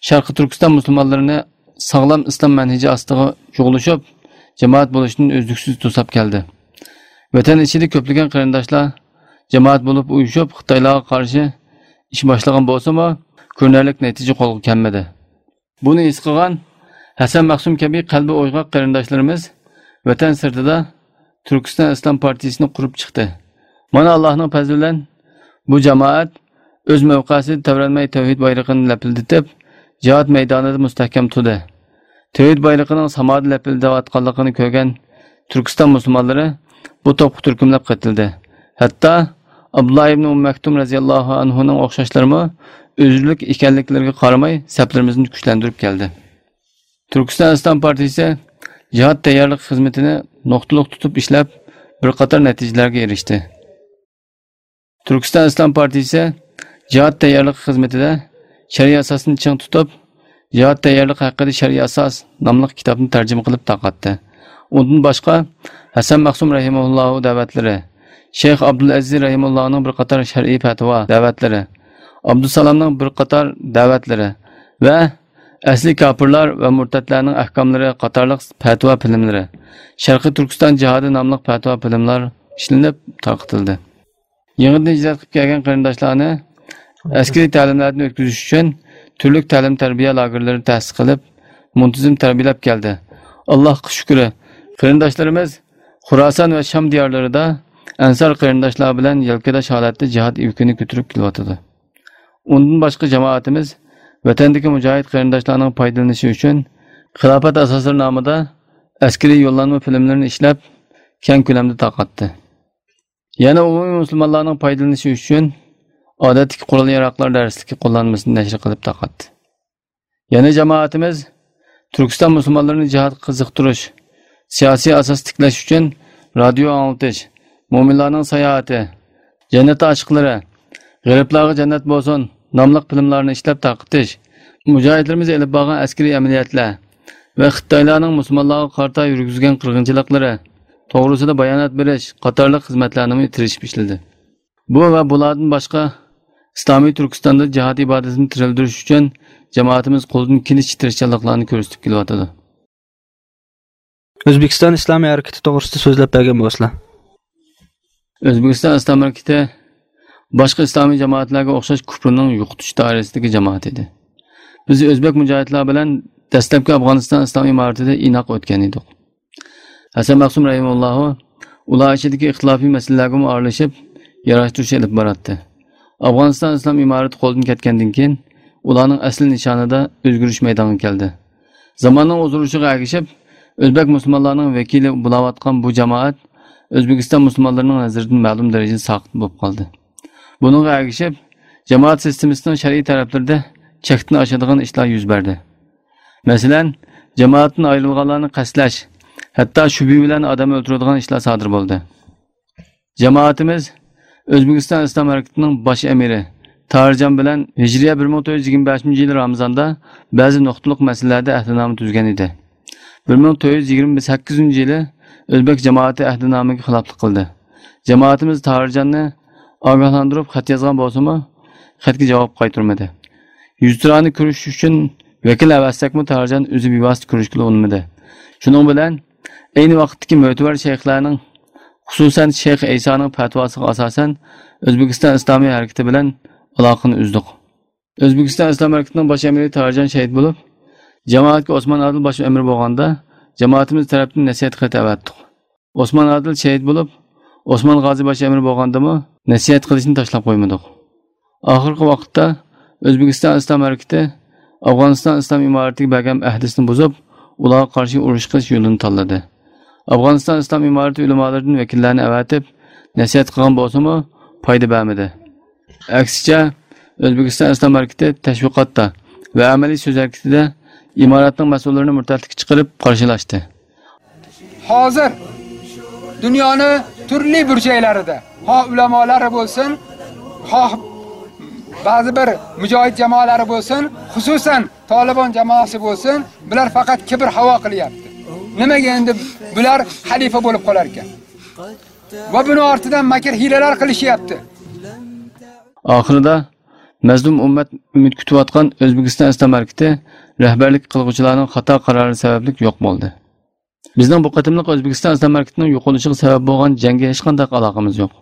شەرقىي تۈركىستان مۇسۇلمانلىرىنى ساغلام ئىسلام مەنھىجى ئاستىغا جۇغلىشىپ، جامائەت بولۇشتىن ئۈزلۈكسىز توساپ كەلدى. ۋەتەن ئىچىدە كۆپلىگەن قېرىنداشلار جامائەت بولۇپ ئۇيۇشۇپ، خىتايلارغا قارشى ئىش باشلىغان بولسىمۇ، كۆرۈنەرلىك نەتىجە قولغا كەلمىدى. بۇنى ھېس قىلغان ھەسەن مەخسۇم كەبى قەلبى ئويغاق قېرىنداشلىرىمىز ۋەتەن سىرتىدا تۈركىستان ئىسلام پارتىيىسىنى قۇرۇپ چىقتى. مانا، ئاللاھنىڭ پەزلى بىلەن بۇ جامائەت ئۆز مەۋقەسىدە تەۋرەنمەي تەۋھىد بايرىقىنى لەپىلدىتىپ، جىھاد مەيدانىدا مۇستەھكەم تۇردى. تەۋھىد بايرىقىنىڭ سامادا لەپىلدەۋاتقانلىقىنى كۆرگەن تۈركىستان مۇسۇلمانلىرى بۇ توپقا تۈركۈملەپ قېتىلدى. ھەتتا ئابدۇللا ئىبنى ئۇممۇ مەكتۇم رەزىياللاھۇ ئەنھۇنىڭ ئوخشاشلىرىمۇ ئۆزرىلىك ئىكەنلىكلىرىگە قارىماي، سەپلىرىمىزنى كۈچلەندۈرۈپ كەلدى. تۈركىستان ئىسلام پارتىيىسى جىھاد تەييارلىق خىزمىتىنى نۇقتىلىق تۇتۇپ ئىشلەپ، بىر قاتار نەتىجىلەرگە ئېرىشتى. تۈركىستان ئىسلام پارتىيىسى جىھاد تەييارلىقى خىزمىتىدە شەرئىي ئاساسنى چىڭ تۇتۇپ، جىھاد تەييارلىقى ھەققىدە شەرئىي ئاساس ناملىق كىتابنى تەرجىمە قىلىپ تارقاتتى. ئۇندىن باشقا، ھەسەن مەخسۇم رەھىمەھۇللاھۇ دەۋەتلىرى، شەيخ ئابدۇلئەزىز رەھىمەھۇللاھۇنىڭ بىر قاتار شەرئىي پەتىۋا دەۋەتلىرى، ئابدۇسالامنىڭ بىر قاتار دەۋەتلىرى ۋە ئەسلى كاپىرلار ۋە مۇرتەتلەرنىڭ ئەھكاملىرى قاتارلىق پەتىۋا فىلىملىرى، شەرقىي تۈركىستان جىھادى ناملىق پەتىۋا فىلىملار ئىشلىنىپ تارقىتىلدى. يېڭىدىن ھىجرەت قىلىپ كەلگەن قېرىنداشلارنى ئەسكىرىي تەلىملەردىن ئۆتكۈزۈش ئۈچۈن تۈرلۈك تەلىم-تەربىيە لاگېرلىرى تەسىس قىلىپ، مۇنتىزىم تەربىيەلەپ كەلدى. ئاللاھقا شۈكرى، قېرىنداشلىرىمىز خۇراسان ۋە شام دىيارلىرىدا ئەنسار قېرىنداشلار بىلەن يەلكىداش ھالەتتە جىھاد يۈكىنى كۆتۈرۈپ كېلىۋاتىدۇ. ئۇندىن باشقا، جامائىتىمىز ۋەتەندىكى مۇجاھىد قېرىنداشلارنىڭ پايدىلىنىشى ئۈچۈن خىلاپەت ئاساسلىرى نامىدا ئەسكىرىي يوللانما فىلىملىرىنى ئىشلەپ، كەڭ كۆلەمدە تارقاتتى. يەنە ئومۇمىي مۇسۇلمانلارنىڭ پايدىلىنىشى ئۈچۈن ئادەتتىكى قورال-ياراغلار دەرسلىكى قوللانمىسىنى نەشر قىلىپ تارقاتتى. يەنە جامائىتىمىز تۈركىستان مۇسۇلمانلىرىنى جىھادقا قىزىقتۇرۇش، سىياسىي ئاساس تىكلەش ئۈچۈن رادىيو ئاڭلىتىش، مۆمىنلارنىڭ ساياھىتى، جەننەت ئاشىقلىرى، غېرىبلارغا جەننەت بولسۇن ناملىق فىلىملارنى ئىشلەپ تارقىتىش، مۇجاھىدلىرىمىز ئېلىپ بارغان ئەسكىرىي ئەمەلىيەتلەر ۋە خىتايلارنىڭ مۇسۇلمانلارغا قارىتا يۈرگۈزگەن قىرغىنچىلىقلىرى توغرىسىدا بايانات بېرىش قاتارلىق خىزمەتلەرنىمۇ تىرىشىپ ئىشلىدى. بۇ ۋە بۇلاردىن باشقا، ئىسلامىي تۈركىستاندا جىھاد ئىبادىتىنى تىرىلدۈرۈش ئۈچۈن جامائىتىمىز قولىدىن كېلىشىچە تىرىشچانلىقلارنى كۆرسىتىپ كېلىۋاتىدۇ. ئۆزبېكىستان ئىسلامىي ھەرىكىتى توغرىسىدا سۆزلەپ بەرگەن بولسىلا. ئۆزبېكىستان ئىسلام ھەرىكىتى باشقا ئىسلامىي جامائەتلەرگە ئوخشاش كۇپرنىڭ يوقىتىش دائىرىسىدىكى جامائەت ئىدى. بىز ئۆزبەك مۇجاھىدلار بىلەن دەسلەپكى ئافغانىستان ئىسلام ئىمارىتىدە ئىناق ئۆتكەن ئىدۇق. ھەسەن مەخسۇم رەھىمەھۇللاھۇ ئۇلار ئىچىدىكى ئىختىلاپىي مەسىلىلەرگىمۇ ئارىلىشىپ، ياراشتۇرۇش ئېلىپ باراتتى. ئافغانىستان ئىسلام ئىمارىتى قولدىن كەتكەندىن كېيىن، ئۇلارنىڭ ئەسلى نىشانىدا ئۆزگىرىش مەيدانغا كەلدى. زاماننىڭ ئوزۇرۇشىغا ئەگىشىپ، ئۆزبەك مۇسۇلمانلارنىڭ ۋەكىلى بولاۋاتقان بۇ جامائەت ئۆزبېكىستان مۇسۇلمانلىرىنىڭ نەزىرىدىن مەلۇم دەرىجىدە ساقىت بولۇپ قالدى. بۇنىڭغا ئەگىشىپ، جامائەت سىستېمىسىنىڭ شەرئىي تەرەپلىرىدە چەكتىن ئاشىدىغان ئىشلار يۈز بەردى. مەسىلەن، جامائەتتىن ئايرىلغانلارنى قەستلەش، ھەتتا شۈبھە بىلەن ئادەم ئۆلتۈرىدىغان ئىشلار سادىر بولدى. جامائىتىمىز ئۆزبېكىستان ئىسلام ھەرىكىتىنىڭ باش ئەمىرى تاھىرجان بىلەن ھىجرىيە بىر مىڭ تۆت يۈز يىگىرمە بەشىنچى يىلى رامىزاندا بەزى نۇقتىلىق مەسىلىلەردە ئەھدىنامە تۈزگەن ئىدى. بىر مىڭ تۆت يۈز يىگىرمە سەككىزىنچى يىلى ئۆزبەك جامائىتى ئەھدىنامىگە خىلاپلىق قىلدى. جامائىتىمىز تاھىرجاننى ئاگاھلاندۇرۇپ خەت يازغان بولسىمۇ، خەتكە جاۋاب قايتۇرمىدى. يۈزتۇرانە كۆرۈشۈش ئۈچۈن ۋەكىل ئەۋەتسەكمۇ، تاھىرجان ئۆزى بىۋاسىتە كۆرۈشكىلى ئۇنىمىدى. شۇنىڭ بىلەن ئەينى ۋاقىتتىكى مۆتىۋەر شەيخلەرنىڭ، خۇسۇسەن شەيخ ئەيسانىڭ پەتىۋاسىغا ئاساسەن، ئۆزبېكىستان ئىسلامىي ھەرىكىتى بىلەن ئالاقىنى ئۈزدۇق. ئۆزبېكىستان ئىسلام ھەرىكىتىنىڭ باش ئەمىرى تاھىرجان شېھىت بولۇپ، جامائەتكە ئوسمان ئادىل باش ئەمىر بولغاندا، جامائىتىمىز تەرەپتىن نەسىھەت خېتى ئەۋەتتۇق. ئوسمان ئادىل شېھىت بولۇپ، ئوسمان غازى باش ئەمىر بولغاندىمۇ نەسىھەت قىلىشنى تاشلاپ قويمىدۇق. ئاخىرقى ۋاقىتتا ئۆزبېكىستان ئىسلام ھەرىكىتى ئافغانىستان ئىسلام ئىمارىتىگە بەرگەن ئەھدىسىنى بۇزۇپ، ئۇلارغا قارشى ئۇرۇش قىلىش يولىنى تاللىدى. ئافغانىستان ئىسلام ئىمارىتى ئۆلىمالىرىدىن ۋەكىللەرنى ئەۋەتىپ، نەسىھەت قىلغان بولسىمۇ، پايدا بەرمىدى. ئەكسىچە، ئۆزبېكىستان ئىسلام ھەرىكىتى تەشۋىقاتتا ۋە ئەمەلىي سۆز ھەرىكىتىدە ئىمارەتنىڭ مەسئۇللىرىنى مۇرتەتلىككە چىقىرىپ قارشىلاشتى. Hozir dunyoning turli burchaklarida xoh ulamolari bo'lsin, xoh بەزى بىر مۇجاھىد جامائەلەر بولسۇن، خۇسۇسەن تالىبان جامائەسى بولسۇن، بۇلار پەقەت كىبىر ھاۋا قىلياپتۇ. نېمىگە ئەمدى بۇلار خەلىپە بولۇپ قالاركەن؟ ۋە بۇنىڭ ئارتىدا مەكىر ھىيلىلەر قىلىشياپتۇ. ئاخىرىدا مەزلۇم ئۈممەت ئۈمىد كۈتۈۋاتقان ئۆزبېكىستان ئىسلام ھەرىكىتى رەھبەرلىك قىلغۇچىلارنىڭ خاتا قارارى سەۋەبلىك يوق بولدى. بىزنىڭ بۇ قېتىملىق ئۆزبېكىستان ئىسلام ھەرىكىتىنىڭ يوقىلىشىغا سەۋەب بولغان جەڭگە ھېچقانداق ئالاقىمىز يوق.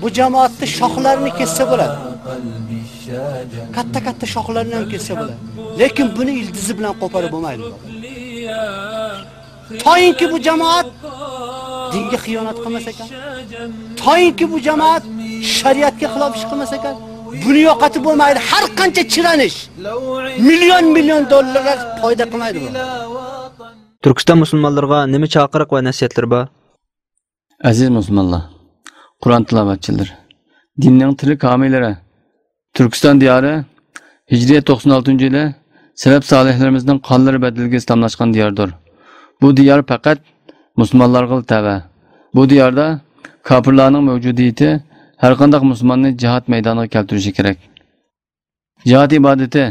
بۇ جامائەتتە شاخلارنى كەسسە بولىدۇ. كاتتا-كاتتا شاخلارنى ھەم كەسسە بولىدۇ. لېكىن بۇنى يىلتىزى بىلەن قوپۇرۇپ بولمايدۇ. تايىنكى بۇ جامائەت دىنگە خىيانەت قىلماس ئىكەن، تايىنكى بۇ جامائەت شەرىئەتكە خىلاپ ئىش قىلماس ئىكەن، بۇنى يوقىتىپ بولمايدۇ. ھەر قانچە چىرانىش، مىليون-مىليون دوللارلار پايدا قىلمايدۇ بۇ. تۈركىستان مۇسۇلمانلىرىغا نېمە چاقىرىق ۋە نەسىھەتلىرى بار؟ ئەزىز مۇسۇلمانلار، قۇرئان تىلاۋەتچىلىرى، دىننىڭ تىرىك ھامىيلىرى، تۈركىستان دىيارى ھىجرىيە توقسان ئالتىنچى يىلى سەلەپ سالىھلىرىمىزنىڭ قانلىرى بەدىلىگە ئىسلاملاشقان دىياردۇر. بۇ دىيار پەقەت مۇسۇلمانلارغىلا تەۋە. بۇ دىياردا كاپىرلارنىڭ مەۋجۇدىيىتى ھەرقانداق مۇسۇلماننى جىھاد مەيدانىغا كەلتۈرۈشى كېرەك. جىھاد ئىبادىتى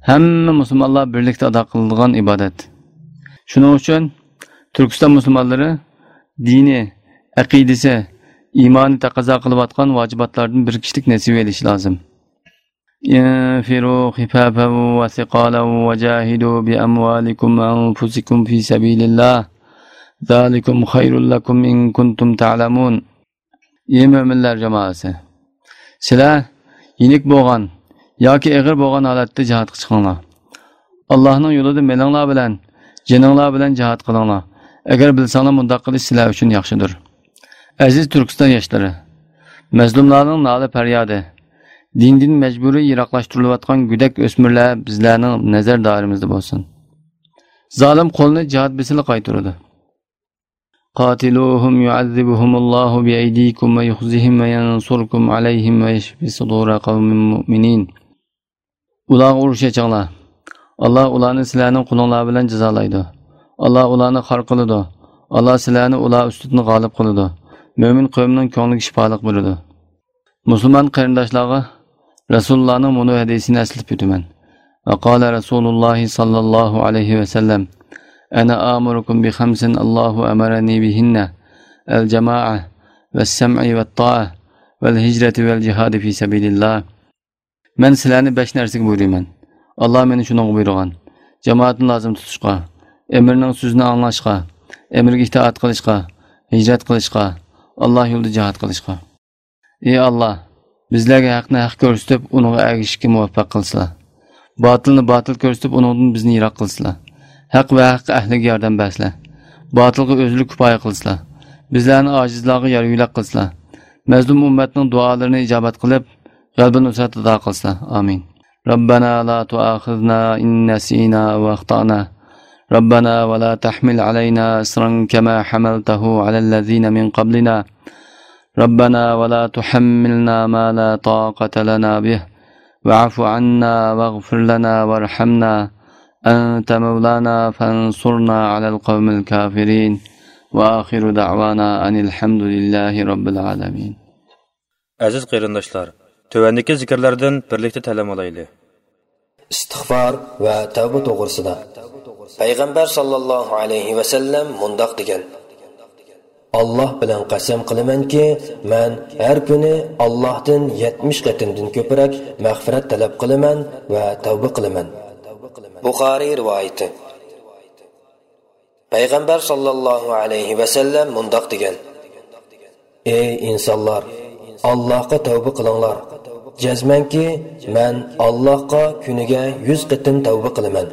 ھەممە مۇسۇلمانلار بىرلىكتە ئادا قىلىدىغان ئىبادەت. شۇنىڭ ئۈچۈن تۈركىستان مۇسۇلمانلىرى دىنى، ئەقىدىسى، ئىمانى تەقەززا قىلىۋاتقان ۋاجىباتلاردىن بىر كىشىلىك نېسىۋە ئېلىشى لازىم. انفروا خفافا وثقالا وجاهدوا بأموالكم وأنفسكم في سبيل الله ذلكم خير لكم إن كنتم تعلمون. ئى مۆمىنلەر جامائەسى! سىلەر يېنىك بولغان ياكى ئېغىر بولغان ھالەتتە جىھادقا چىقىڭلار. ئاللاھنىڭ يولىدا مېلىڭلار بىلەن، جېنىڭلار بىلەن جىھاد قىلىڭلار. ئەگەر بىلسەڭلار، مۇنداق قىلىش سىلەر ئۈچۈن ياخشىدۇر. ئەزىز تۈركىستان ياشلىرى! مەزلۇملارنىڭ نالە-پەريادى، دىندىن مەجبۇرىي يىراقلاشتۇرۇلۇۋاتقان گۆدەك ئۆسمۈرلەر بىزلەرنىڭ نەزەر دائىرىمىزدە بولسۇن. زالىم قولنى جىھاد بېسىلا قايتۇرىدۇ. قاتلوهم يعذبهم الله بأيديكم ويخزهم وينصركم عليهم ويشف صدور قوم مؤمنين. ئۇلارغا ئۇرۇش ئېچىڭلار. ئاللا ئۇلارنى سىلەرنىڭ قولۇڭلار بىلەن جازالايدۇ. ئاللا ئۇلارنى خار قىلىدۇ. ئاللا سىلەرنى ئۇلار ئۈستىدىن غالىب قىلىدۇ. مۆمىن قەۋمنىڭ كۆڭلىگە شىپالىق بېرىدۇ. مۇسۇلمان قېرىنداشلارغا رەسۇلۇللانىڭ مۇنۇ ھەدىسىنى ئەسلىتىپ ئۆتىمەن. وقال رسول الله صلى الله عليه وسلم، أنا آمركم بخمس الله أمرني بهن، الجماعة والسمع والطاعة والهجرة والجهاد في سبيل الله. مەن سىلەرنى بەش نەرسىگە بۇيرۇيمەن. ئاللا مېنى شۇنىڭغا بۇيرۇغان. جامائەتنى لازىم تۇتۇشقا، ئەمىرنىڭ سۆزىنى ئاڭلاشقا، ئەمىرگە ئىتائەت قىلىشقا، ھىجرەت قىلىشقا، ئاللا يولىدا جىھاد قىلىشقا. ئى ئاللا، بىزلەرگە ھەقنى ھەق كۆرسىتىپ، ئۇنىڭغا ئەگىشىشكە مۇۋەپپەق قىلسىلا. باتىلنى باتىل كۆرسىتىپ، ئۇنىڭدىن بىزنى يىراق قىلسىلا. ھەق ۋە ھەق ئەھلىگە ياردەم بەرسىلە. باتىلغا ئۆزلۈك كۇپايە قىلسىلا. بىزلەرنى ئاجىزلارغا يار-يۆلەك قىلسىلا. مەزلۇم ئۈممەتنىڭ دۇئالىرىنى ئىجابەت قىلىپ، غەلىبە نۇسرەت ئاتا قىلسىلا. ئامىن. ربنا لا تؤاخذنا إن نسينا أو أخطأنا. ربنا ولا تحمل علينا إصرا كما حملته على الذين من قبلنا. ربنا ولا تحملنا ما لا طاقة لنا به. واعف عنا واغفر لنا وارحمنا. أنت مولانا فانصرنا على القوم الكافرين. وآخر دعوانا أن الحمد لله رب العالمين. ئەزىز قېرىنداشلار، تۆۋەندىكى زىكىرلەردىن بىرلىكتە تەلىم ئالايلى. ئىستىغفار ۋە تەۋبە توغرىسىدا. پەيغەمبەر ساللاللاھۇ ئەلەيھى ۋەسەللەم مۇنداق دېگەن: ئاللاھ بىلەن قەسەم قىلىمەنكى، مەن ھەر كۈنى ئاللاھتىن يەتمىش قېتىمدىن كۆپرەك مەغپىرەت تەلەپ قىلىمەن ۋە تەۋبە قىلىمەن. بۇخارىي رىۋايىتى. پەيغەمبەر ساللاللاھۇ ئەلەيھى ۋەسەللەم مۇنداق دېگەن: ئەي ئىنسانلار، ئاللاھقا تەۋبە قىلىڭلار. جەزمەنكى، مەن ئاللاھقا كۈنىگە يۈز قېتىم تەۋبە قىلىمەن.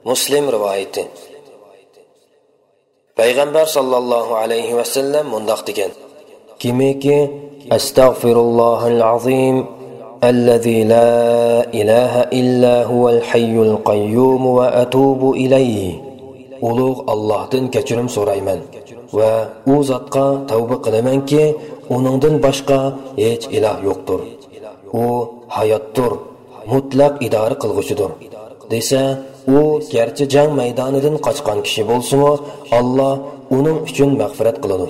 مۇسلىم رىۋايىتى. پەيغەمبەر ساللاللاھۇ ئەلەيھى ۋەسەللەم مۇنداق دېگەن: كىمكى، أستغفر الله العظيم الذي لا إله إلا هو الحي القيوم وأتوب إليه. ئۇلۇغ ئاللاھتىن كەچۈرۈم سورايمەن ۋە ئۇ زاتقا تەۋبە قىلىمەنكى، ئۇنىڭدىن باشقا ھېچ ئىلاھ يوقتۇر. ئۇ ھاياتتۇر، مۇتلەق ئىدارە قىلغۇچىدۇر، دېسە، ئۇ گەرچە جەڭ مەيدانىدىن قاچقان كىشى بولسىمۇ، ئاللا ئۇنىڭ ئۈچۈن مەغپىرەت قىلىدۇ.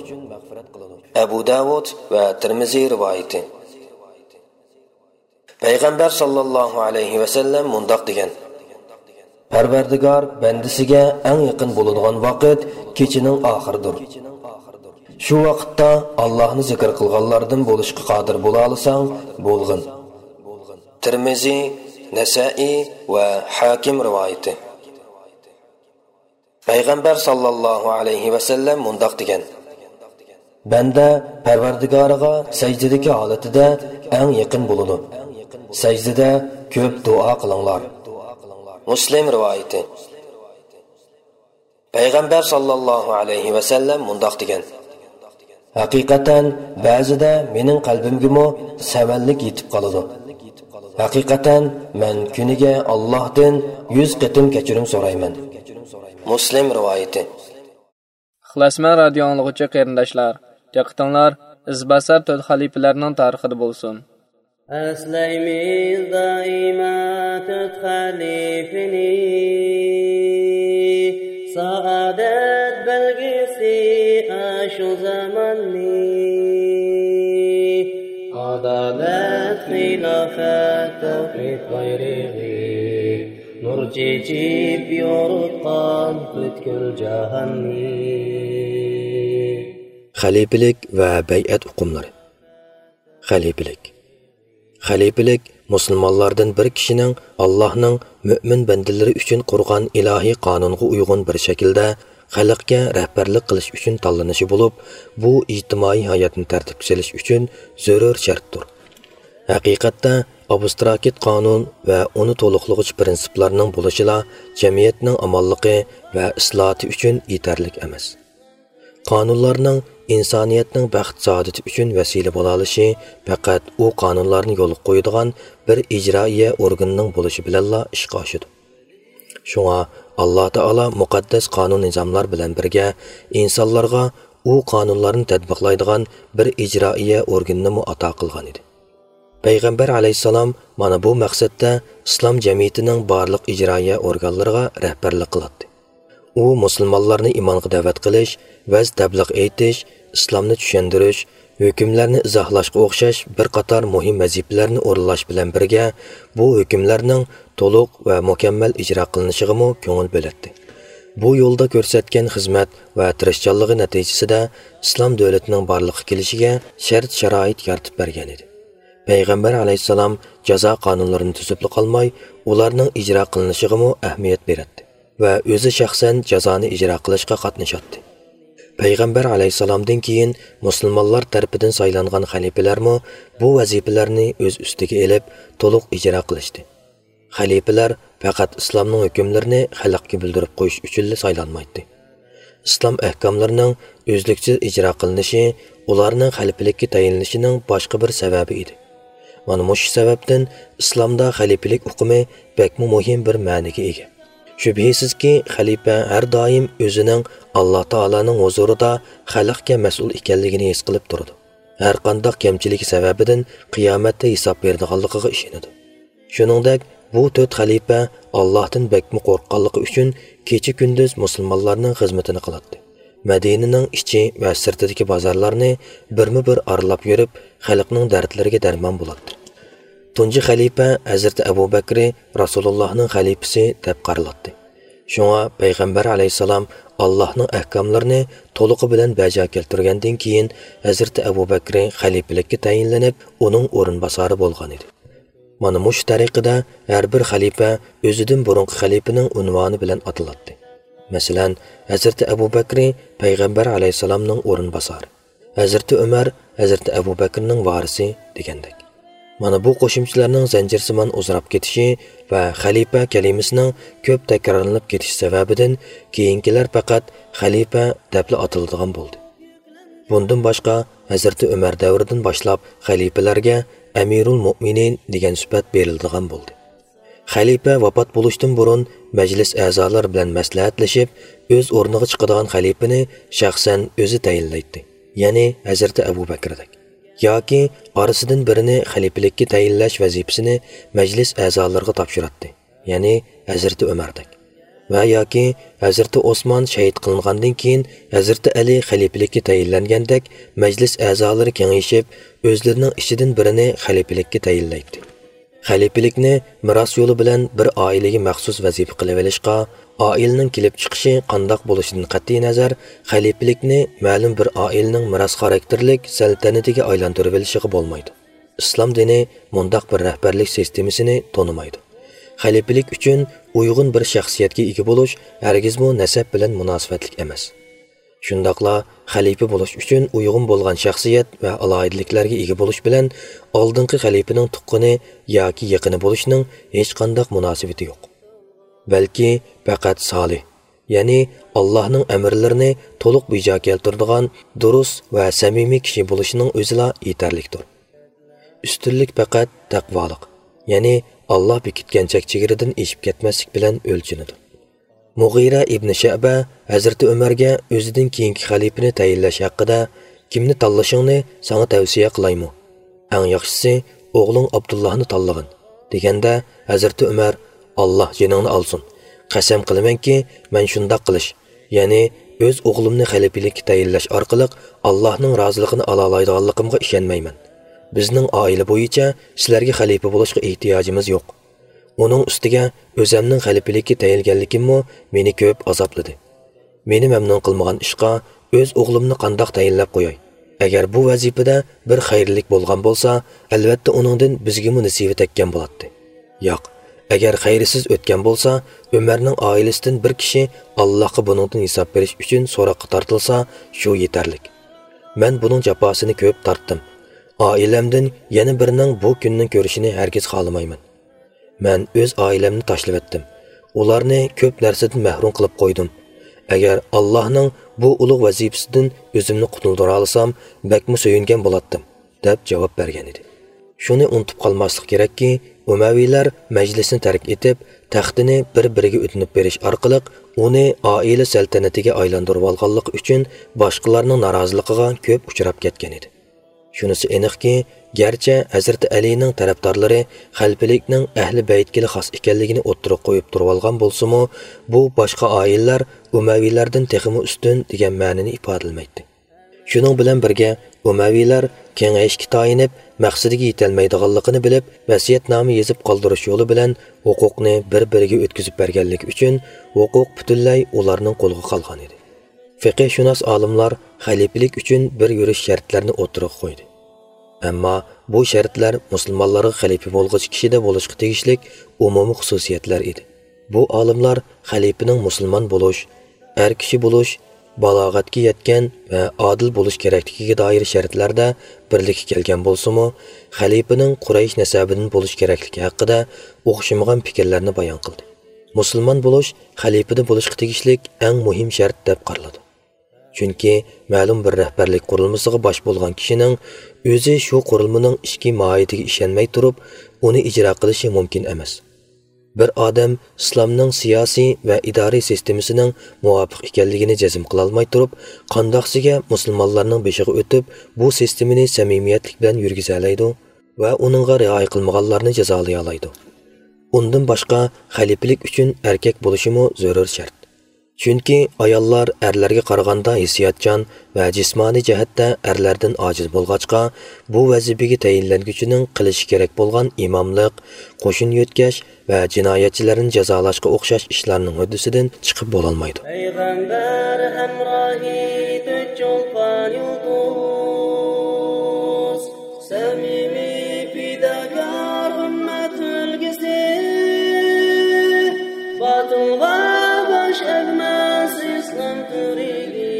ئەبۇ داۋۇد ۋە تىرمىزى رىۋايىتى. پەيغەمبەر ساللاللاھۇ ئەلەيھى ۋەسەللەم مۇنداق دېگەن: پەرۋەردىگار بەندىسىگە ئەڭ يېقىن بولىدىغان ۋاقىت كېچىنىڭ ئاخىرىدۇر. شۇ ۋاقىتتا ئاللاھنى زىكىر قىلغانلاردىن بولۇشقا قادىر بولالىساڭ، بولغىن. تىرمىزى، نەسائىي ۋە ھاكىم رىۋايىتى. پەيغەمبەر ساللاللاھۇ ئەلەيھى ۋەسەللەم مۇنداق دېگەن: بەندە پەرۋەردىگارىغا سەجدىدىكى ھالىتىدە ئەڭ يېقىن بولىدۇ. سەجدىدە كۆپ دۇئا قىلىڭلار. مۇسلىم رىۋايىتى. پەيغەمبەر ساللاللاھۇ ئەلەيھى ۋەسەللەم مۇنداق دېگەن: ھەقىقەتەن، بەزىدە مېنىڭ قەلبىمگىمۇ سەۋەنلىك يېتىپ قالىدۇ. ھەقىقەتەن، مەن كۈنىگە ئاللاھتىن يۈز قېتىم كەچۈرۈم سورايمەن. مۇسلىم رىۋايىتى. ئىخلاسمەن رادىيو ئاڭلىغۇچى قېرىنداشلار، دىققىتىڭلار ئىزباسار تۆت خەلىپىلەرنىڭ تارىخىدا بولسۇن. ئەسلەيمىز دائىما تۆت خەلىپىنى، سائادەت بەلگىسى ئاشۇ زاماننى. ئادالەت، خىلاپەت، تەۋھىد بايرىقى، نۇر چېچىپ يورۇتقان پۈتكۈل جاھاننى. خەلىپىلىك ۋە بەيئەت ئۇقۇملىرى. خەلىپىلىك. خەلىپىلىك مۇسۇلمانلاردىن بىر كىشىنىڭ ئاللاھنىڭ مۆمىن بەندىلىرى ئۈچۈن قۇرغان ئىلاھىي قانۇنغا ئۇيغۇن بىر شەكىلدە خەلقكە رەھبەرلىك قىلىش ئۈچۈن تاللىنىشى بولۇپ، بۇ ئىجتىمائىي ھاياتنى تەرتىپكە سېلىش ئۈچۈن زۆرۈر شەرتتۇر. ھەقىقەتتە، ئابستراكت قانۇن ۋە ئۇنى تولۇقلىغۇچى پىرىنسىپلارنىڭ بولۇشىلا جەمئىيەتنىڭ ئامانلىقى ۋە ئىسلاھاتى ئۈچۈن يېتەرلىك ئەمەس. قانۇنلارنىڭ ئىنسانىيەتنىڭ بەخت-سائادىتى ئۈچۈن ۋەسىلە بولالىشى پەقەت ئۇ قانۇنلارنى يولغا قويىدىغان بىر ئىجرائىيە ئورگىنىنىڭ بولۇشى بىلەنلا ئىشقا ئاشىدۇ. شۇڭا ئاللا تائالا مۇقەددەس قانۇن-نىزاملار بىلەن بىرگە ئىنسانلارغا ئۇ قانۇنلارنى تەتبىقلايدىغان بىر ئىجرائىيە ئورگىنىنىمۇ ئاتا قىلغان ئىدى. پەيغەمبەر ئەلەيھىسسالام مانا بۇ مەقسەتتە ئىسلام جەمئىيىتىنىڭ بارلىق ئىجرائىيە ئورگانلىرىغا رەھبەرلىك قىلاتتى. ئۇ مۇسۇلمانلارنى ئىمانغا دەۋەت قىلىش، ۋەز تەبلىغ ئېيتىش، ئىسلامنى چۈشەندۈرۈش، ھۆكۈملەرنى ئىزاھلاشقا ئوخشاش بىر قاتار مۇھىم ۋەزىپىلەرنى ئورۇنلاش بىلەن بىرگە، بۇ ھۆكۈملەرنىڭ تولۇق ۋە مۇكەممەل ئىجرا قىلىنىشىغىمۇ كۆڭۈل بۆلەتتى. بۇ يولدا كۆرسەتكەن خىزمەت ۋە تىرىشچانلىقى نەتىجىسىدە ئىسلام دۆلىتىنىڭ بارلىققا كېلىشىگە شەرت-شارائىت يارىتىپ بەرگەن ئىدى. پەيغەمبەر ئەلەيھىسسالام جازا قانۇنلىرىنى تۈزۈپلا قالماي، ئۇلارنىڭ ئىجرا قىلىنىشىغىمۇ ئەھمىيەت بېرەتتى ۋە ئۆزى شەخسەن جازانى ئىجرا قىلىشقا قاتنىشاتتى. پەيغەمبەر ئەلەيھىسسالامدىن كېيىن مۇسۇلمانلار تەرىپىدىن سايلانغان خەلىپىلەرمۇ بۇ ۋەزىپىلەرنى ئۆز ئۈستىگە ئېلىپ، تولۇق ئىجرا قىلىشتى. خەلىپىلەر پەقەت ئىسلامنىڭ ھۆكۈملىرىنى خەلققە بىلدۈرۈپ قويۇش ئۈچۈنلا سايلانمايتتى. ئىسلام ئەھكاملىرىنىڭ ئۈزلۈكسىز ئىجرا قىلىنىشى ئۇلارنىڭ خەلىپىلىككە تەيىنلىنىشىنىڭ باشقا بىر سەۋەبى ئىدى. مانا مۇشۇ سەۋەبتىن ئىسلامدا خەلىپىلىك ئۇقۇمى بەكمۇ مۇھىم بىر مەنىگە ئىگە. شۈبھىسىزكى، خەلىپە ھەر دائىم ئۆزىنىڭ ئاللا تائالانىڭ ھۇزۇرىدا خەلقكە مەسئۇل ئىكەنلىكىنى ھېس قىلىپ تۇرىدۇ. ھەرقانداق كەمچىلىكى سەۋەبىدىن قىيامەتتە ھېساب بېرىدىغانلىقىغا ئىشىنىدۇ. شۇنىڭدەك، بۇ تۆت خەلىپە ئاللاھتىن بەكمۇ قورققانلىقى ئۈچۈن كېچە-كۈندۈز مۇسۇلمانلارنىڭ خىزمىتىنى قىلاتتى. مەدىنىنىڭ ئىچى ۋە سىرتىدىكى بازارلارنى بىرمۇ بىر ئارىلاپ يۈرۈپ، خەلقنىڭ دەردلىرىگە دەرمان بولاتتى. تۇنجى خەلىپە ھەزرىتى ئەبۇ بەكرى رەسۇلۇللاھنىڭ خەلىپىسى دەپ قارىلاتتى. شۇڭا پەيغەمبەر ئەلەيھىسسالام ئاللاھنىڭ ئەھكاملىرىنى تولۇقى بىلەن بەجا كەلتۈرگەندىن كېيىن، ھەزرىتى ئەبۇ بەكرى خەلىپىلىككە تەيىنلىنىپ، ئۇنىڭ ئورۇنباسارى بولغان ئىدى. مانا مۇشۇ تەرىقىدە ھەر بىر خەلىپە ئۆزىدىن بۇرۇنقى خەلىپىنىڭ ئۇنۋانى بىلەن ئاتىلاتتى. مەسىلەن، ھەزرىتى ئەبۇ بەكرى پەيغەمبەر ئەلەيھىسسالامنىڭ ئورۇنباسارى، ھەزرىتى ئۆمەر ھەزرىتى ئەبۇ بەكرىنىڭ ۋارىسى دېگەندەك. مانا بۇ قوشۇمچىلارنىڭ زەنجىرسىمان ئۇزىراپ كېتىشى ۋە خەلىپە كەلىمىسىنىڭ كۆپ تەكرارلىنىپ كېتىشى سەۋەبىدىن كېيىنكىلەر پەقەت خەلىپە دەپلا ئاتىلىدىغان بولدى. بۇندىن باشقا، ھەزرىتى ئۆمەر دەۋرىدىن باشلاپ خەلىپىلەرگە ئەمىرۇل مۆمىنىن دېگەن سۈپەت بېرىلىدىغان بولدى. خەلىپە ۋاپات بولۇشتىن بۇرۇن مەجلىس ئەزالىرى بىلەن مەسلىھەتلىشىپ، ئۆز ئورنىغا چىقىدىغان خەلىپىنى شەخسەن ئۆزى تەيىنلەيتتى، يەنى ھەزرىتى ئەبۇ بەكرىدەك. ياكى ئارىسىدىن بىرىنى خەلىپىلىككە تەيىنلەش ۋەزىپىسىنى مەجلىس ئەزالىرىغا تاپشۇراتتى، يەنى ھەزرىتى ئۆمەردەك. ۋە ياكى ھەزرىتى ئوسمان شەھىت قىلىنغاندىن كېيىن، ھەزرىتى ئەلى خەلىپىلىككە تەيىنلەنگەندەك، مەجلىس ئەزالىرى كېڭىشىپ، ئۆزلىرىنىڭ ئىچىدىن بىرىنى خەلىپىلىككە تەيىنلەيتتى. خەلىپىلىكنى مىراس يولى بىلەن بىر ئائىلىگە مەخسۇس ۋەزىپە قىلىۋېلىشقا، ئائىلىنىڭ كېلىپ چىقىشى قانداق بولۇشىدىن قەتئىينەزەر، خەلىپىلىكنى مەلۇم بىر ئائىلىنىڭ مىراس خاراكتېرلىك سەلتەنىتىگە ئايلاندۇرۇۋېلىشىغا بولمايدۇ. ئىسلام دىنى مۇنداق بىر رەھبەرلىك سىستېمىسىنى تونۇمايدۇ. خەلىپىلىك ئۈچۈن ئۇيغۇن بىر شەخسىيەتكە ئىگە بولۇش ھەرگىزمۇ نەسەب بىلەن مۇناسىۋەتلىك ئەمەس. شۇنداقلا خەلىپە بولۇش ئۈچۈن ئۇيغۇن بولغان شەخسىيەت ۋە ئالاھىدىلىكلەرگە ئىگە بولۇش بىلەن ئالدىنقى خەلىپىنىڭ تۇغقىنى ياكى يېقىنى بولۇشنىڭ ھېچقانداق مۇناسىۋىتى يوق. بەلكى پەقەت سالىھ، يەنى ئاللاھنىڭ ئەمىرلىرىنى تولۇق بىجا كەلتۈرىدىغان دۇرۇس ۋە سەمىمىي كىشى بولۇشنىڭ ئۆزىلا يېتەرلىكتۇر. ئۈستۈنلۈك پەقەت تەقۋالىق، يەنى ئاللا بېكىتكەن چەك-چېگرىدىن ئېشىپ كەتمەسلىك بىلەن ئۆلچىنىدۇ. مۇغىرە ئىبنى شەبە ھەزرىتى ئۆمەرگە ئۆزىدىن كېيىنكى خەلىپىنى تەيىنلەش ھەققىدە، «كىمنى تاللىشىڭنى ساڭا تەۋسىيە قىلايمۇ؟ ئەڭ ياخشىسى ئوغلۇڭ ئابدۇللاھنى تاللىغىن» دېگەندە، ھەزرىتى ئۆمەر، «ئاللا جېنىڭنى ئالسۇن، قەسەم قىلىمەنكى، مەن شۇنداق قىلىش، يەنى ئۆز ئوغلۇمنى خەلىپىلىككە تەيىنلەش ئارقىلىق ئاللاھنىڭ رازىلىقىنى ئالالايدىغانلىقىمغا ئىشەنمەيمەن. بىزنىڭ ئائىلە بويىچە سىلەرگە خەلىپە بولۇشقا ئېھتىياجىمىز يوق. ئۇنىڭ ئۈستىگە ئۆزەمنىڭ خەلىپىلىككە تەيىنلىگەنلىكىممۇ مېنى كۆپ ئازابلىدى. مېنى مەمنۇن قىلمىغان ئىشقا ئۆز ئوغلۇمنى قانداق تەيىنلەپ قوياي؟ ئەگەر بۇ ۋەزىپىدە بىر خەيرلىك بولغان بولسا، ئەلۋەتتە ئۇنىڭدىن بىزگىمۇ نېسىۋە تەگكەن بولاتتى. ياق، ئەگەر خەيرسىز ئۆتكەن بولسا، ئۆمەرنىڭ ئائىلىسىدىن بىر كىشى ئاللاھقا بۇنىڭدىن ھېساب بېرىش ئۈچۈن سوراققا تارتىلسا، شۇ يېتەرلىك. مەن بۇنىڭ جاپاسىنى كۆپ تارتتىم. ئائىلەمدىن يەنە بىرىنىڭ بۇ كۈننى كۆرۈشىنى ھەرگىز خالىمايمەن. مەن ئۆز ئائىلەمنى تاشلىۋەتتىم. ئۇلارنى كۆپ نەرسىدىن مەھرۇم قىلىپ قويدۇم. ئەگەر ئاللاھنىڭ بۇ ئۇلۇغ ۋەزىپىسىدىن ئۆزۈمنى قۇتۇلدۇرالىسام، بەكمۇ سۆيۈنگەن بولاتتىم» دەپ جاۋاب بەرگەن ئىدى. شۇنى ئۇنتۇپ قالماسلىق كېرەككى، ئۇمەۋىيلەر مەجلىسنى تەرك ئېتىپ، تەختىنى بىر-بىرىگە ئۆتۈنۈپ بېرىش ئارقىلىق ئۇنى ئائىلە سەلتەنىتىگە ئايلاندۇرۇۋالغانلىقى ئۈچۈن باشقىلارنىڭ نارازىلىقىغا كۆپ ئۇچراپ كەتكەن ئىدى. شۇنىسى ئېنىقكى، گەرچە ھەزرىتى ئەلىنىڭ تەرەپدارلىرى خەلىپىلىكنىڭ ئەھلى بەيتكىلا خاس ئىكەنلىكىنى ئوتتۇرىغا قويۇپ تۇرۇۋالغان بولسىمۇ، بۇ باشقا ئائىلىلەر ئۇمەۋىيلەردىن تېخىمۇ ئۈستۈن دېگەن مەنىنى ئىپادىلىمەيتتى. شۇنىڭ بىلەن بىرگە، ئۇمەۋىيلەر كېڭەيىشكە تايىنىپ، مەقسىتىگە يېتەلمەيدىغانلىقىنى بىلىپ، ۋەسىيەتنامە يېزىپ قالدۇرۇش يولى بىلەن ھوقۇقنى بىر-بىرىگە ئۆتكۈزۈپ بەرگەنلىكى ئۈچۈن، ھوقۇق پۈتۈنلەي ئۇلارنىڭ قولىغا قالغان ئىدى. فىقىھشۇناس ئالىملار خەلىپىلىك ئۈچۈن بىر يۈرۈش شەرتلەرنى ئوتتۇرىغا قويدى. ئەمما بۇ شەرتلەر مۇسۇلمانلارغا خەلىپە بولغۇچى كىشىدە بولۇشقا تېگىشلىك ئومۇمىي خۇسۇسىيەتلەر ئىدى. بۇ ئالىملار خەلىپىنىڭ مۇسۇلمان بولۇش، ئەر كىشى بولۇش، بالاغەتكە يەتكەن ۋە ئادىل بولۇش كېرەكلىكىگە دائىر شەرتلەردە بىرلىككە كەلگەن بولسىمۇ، خەلىپىنىڭ قۇرەيش نەسەبىدىن بولۇش كېرەكلىكى ھەققىدە ئوخشىمىغان پىكىرلەرنى بايان قىلدى. مۇسۇلمان بولۇش خەلىپىدە بولۇشقا تېگىشلىك ئەڭ مۇھىم شەرت دەپ قارىلىدۇ. چۈنكى مەلۇم بىر رەھبەرلىك قۇرۇلمىسىغا باش بولغان كىشىنىڭ ئۆزى شۇ قۇرۇلمىنىڭ ئىچكى ماھىيىتىگە ئىشەنمەي تۇرۇپ، ئۇنى ئىجرا قىلىشى مۇمكىن ئەمەس. بىر ئادەم ئىسلامنىڭ سىياسىي ۋە ئىدارىي سىستېمىسىنىڭ مۇۋاپىق ئىكەنلىكىنى جەزم قىلالماي تۇرۇپ، قانداقسىگە مۇسۇلمانلارنىڭ بېشىغا ئۆتۈپ، بۇ سىستېمىنى سەمىمىيەتلىك بىلەن يۈرگۈزەلەيدۇ ۋە ئۇنىڭغا رىئايە قىلمىغانلارنى جازالىيالايدۇ؟ ئۇندىن باشقا، خەلىپىلىك ئۈچۈن ئەركەك بولۇشىمۇ زۆرۈر شەرت. چۈنكى ئاياللار ئەرلەرگە قارىغاندا ھېسسىياتچان ۋە جىسمانىي جەھەتتە ئەرلەردىن ئاجىز بولغاچقا، بۇ ۋەزىپىگە تەيىنلەنگۈچىنىڭ قىلىشى كېرەك بولغان ئىماملىق، قوشۇن يۆتكەش ۋە جىنايەتچىلەرنى جازالاشقا ئوخشاش ئىشلارنىڭ ھۆددىسىدىن چىقىپ بولالمايدۇ. پەيغەمبەر ھەمراھى تۆت چولپان يۇلتۇز، سەمىمىي پىداكار ئۈممەت ئۈلگىسى، باتىلغا باش ئەگمەس ئىسلام تىرىكى،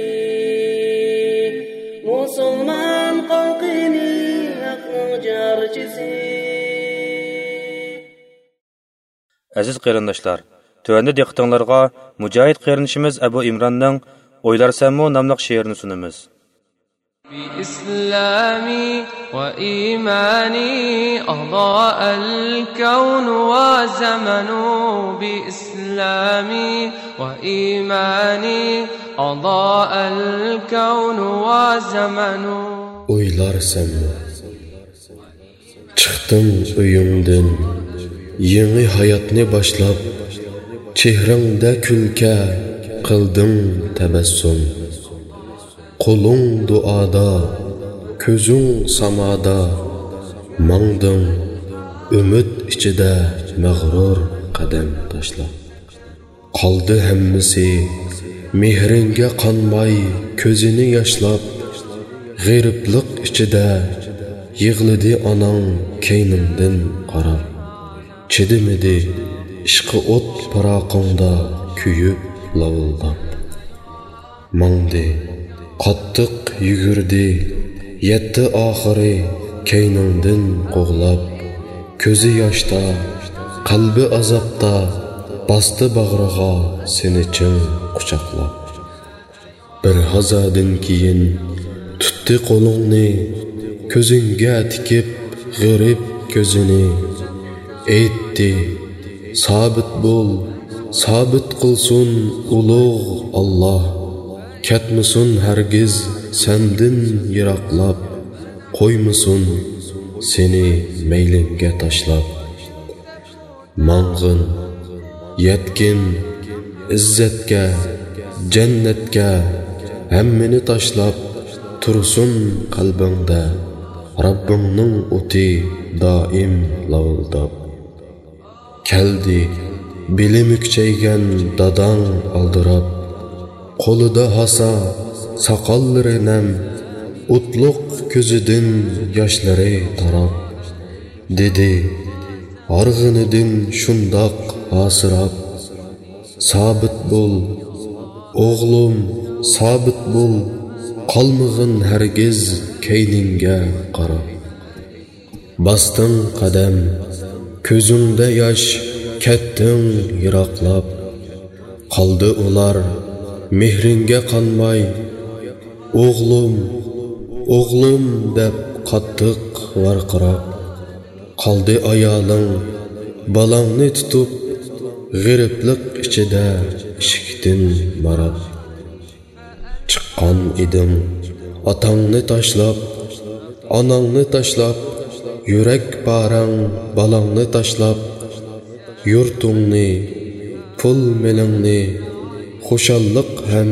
مۇسۇلمان خەلقىنى ھەقنىڭ جارچىسى. ئەزىز قېرىنداشلار، تۆۋەندە دىققىتىڭلارغا مۇجاھىد قېرىندىشىمىز ئەبۇ ئىمراننىڭ «ئويلارسەنمۇ» ناملىق شېئىرىنى سۇنىمىز. بإسلامي وإيماني أضاء الكون وزمن. بإسلامي وإيماني أضاء الكون وزمن. ئويلارسەنمۇ؟ چىقتىڭ ئۆيۈڭدىن، يېڭى ھاياتنى باشلاپ، چېھرىڭدە كۈلكە، قىلدىڭ تەبەسسۇم. قولۇڭ دۇئادا، كۆزۈڭ سامادا، ماڭدىڭ ئۈمىد ئىچىدە مەغرۇر قەدەم تاشلاپ. قالدى ھەممىسى مېھرىڭگە قانماي، كۆزىنى ياشلاپ. غېرىبلىق ئىچىدە يىغلىدى ئاناڭ كەينىڭدىن قاراپ. چىدىمىدى ئىشقى ئوت پىراقىڭدا كۆيۈپ لاۋۇلداپ. ماڭدى، قاتتىق يۈگۈردى، يەتتى ئاخىرى كەينىڭدىن قوغلاپ. كۆزى ياشتا، قەلبى ئازابتا، باستى باغرىغا سېنى چىڭ قۇچاقلاپ. بىر ھازادىن كېيىن تۇتتى قولۇڭنى، كۆزۈڭگە تىكىپ غېرىب كۆزىنى. ئېيتتى، سابىت بول، سابىت قىلسۇن ئۇلۇغ ئاللا. كەتمىسۇن ھەرگىز سەندىن يىراقلاپ، قويمىسۇن سېنى مەيلىڭگە تاشلاپ. ماڭغىن، يەتكىن ئىززەتكە، جەننەتكە، ھەممىنى تاشلاپ. تۇرسۇن قەلبىڭدە رەببىڭنىڭ ئوتى دائىم لاۋۇلداپ. كەلدى بېلى مۈكچەيگەن داداڭ ئالدىراپ. قولىدا ھاسا، ساقاللىرى نەم، ئوتلۇق كۆزىدىن ياشلىرى تاراپ. دېدى، ھارغىنىدىن شۇنداق ھاسىراپ. سابىت بول، ئوغلۇم، سابىت بول، قالمىغىن ھەرگىز كەينىڭگە قاراپ. باستىڭ قەدەم، كۆزۈڭدە ياش، كەتتىڭ يىراقلاپ. قالدى ئۇلار مېھرىڭگە قانماي، ئوغلۇم، ئوغلۇم دەپ قاتتىق ۋارقىراپ. قالدى ئايالىڭ، بالاڭنى تۇتۇپ، غېرىبلىق ئىچىدە ئىشىكتىن ماراپ. چىققان ئىدىڭ ئاتاڭنى تاشلاپ، ئاناڭنى تاشلاپ، يۈرەك پارەڭ بالاڭنى تاشلاپ، يۇرتۇڭنى، پۇل مېلىڭنى، خۇشاللىق ھەم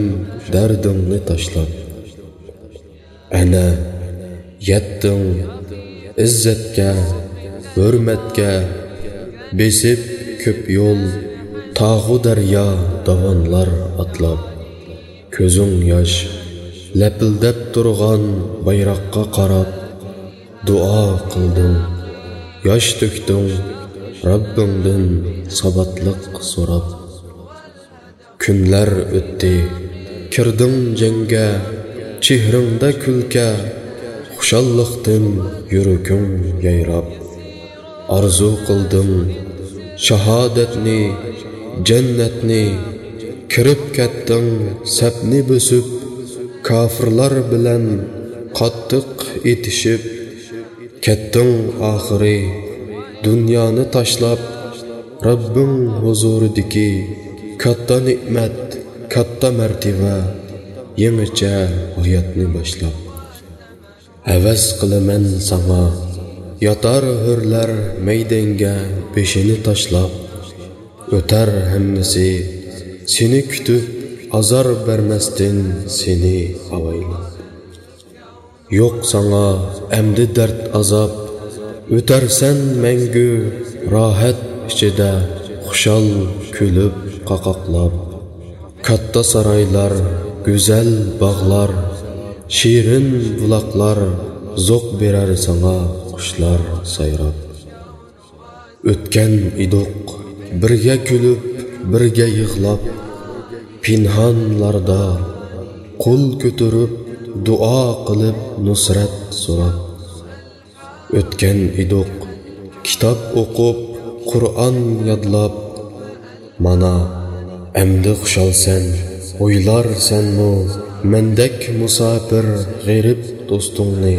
دەردىڭنى تاشلاپ. ئەنە يەتتىڭ ئىززەتكە، ھۆرمەتكە، بېسىپ كۆپ يول، تاغۇ دەريا، داۋانلار ئاتلاپ. كۆزۈڭ ياش، لەپىلدەپ تۇرغان بايراققا قاراپ. دۇئا قىلدىڭ، ياش تۆكتۈڭ، رەببىڭدىن ساباتلىق سوراپ. كۈنلەر ئۆتتى، كىردىڭ جەڭگە، چېھرىڭدە كۈلكە، خۇشاللىقتىن يۈرىكىڭ يايراپ. ئارزۇ قىلدىڭ شاھادەتنى، جەننەتنى، كىرىپ كەتتىڭ سەپنى بۆسۈپ، كاپىرلار بىلەن قاتتىق ئېتىشىپ. كەتتىڭ ئاخىرى دۇنيانى تاشلاپ، رەببىڭ ھۇزۇرىدىكى كاتتا نېمەت، كاتتا مەرتىۋە، يېڭىچە ھاياتنى باشلاپ. ھەۋەس قىلىمەن ساڭا، ياتار ھۆرلەر مەيدەڭگە بېشىنى تاشلاپ. ئۆتەر ھەممىسى سېنى كۈتۈپ، ئازار بەرمەستىن سېنى ئاۋايلاپ. يوق ساڭا ئەمدى دەرد ئازاب، ئۆتەرسەن مەڭگۈ راھەت ئىچىدە، خۇشال كۈلۈپ قاقاقلاپ. كاتتا سارايلار، گۈزەل باغلار، شېرىن بۇلاقلار، زوق بېرەر ساڭا قۇشلار سايراپ. ئۆتكەن ئىدۇق بىرگە كۈلۈپ، بىرگە يىغلاپ، پىنھانلاردا قول كۆتۈرۈپ، دۇئا قىلىپ، نۇسرەت سوراپ. ئۆتكەن ئىدۇق كىتاب ئوقۇپ، قۇرئان يادلاپ. مانا، ئەمدى خۇشالسەن، ئويلارسەنمۇ مەندەك مۇساپىر غېرىب دوستۇڭنى،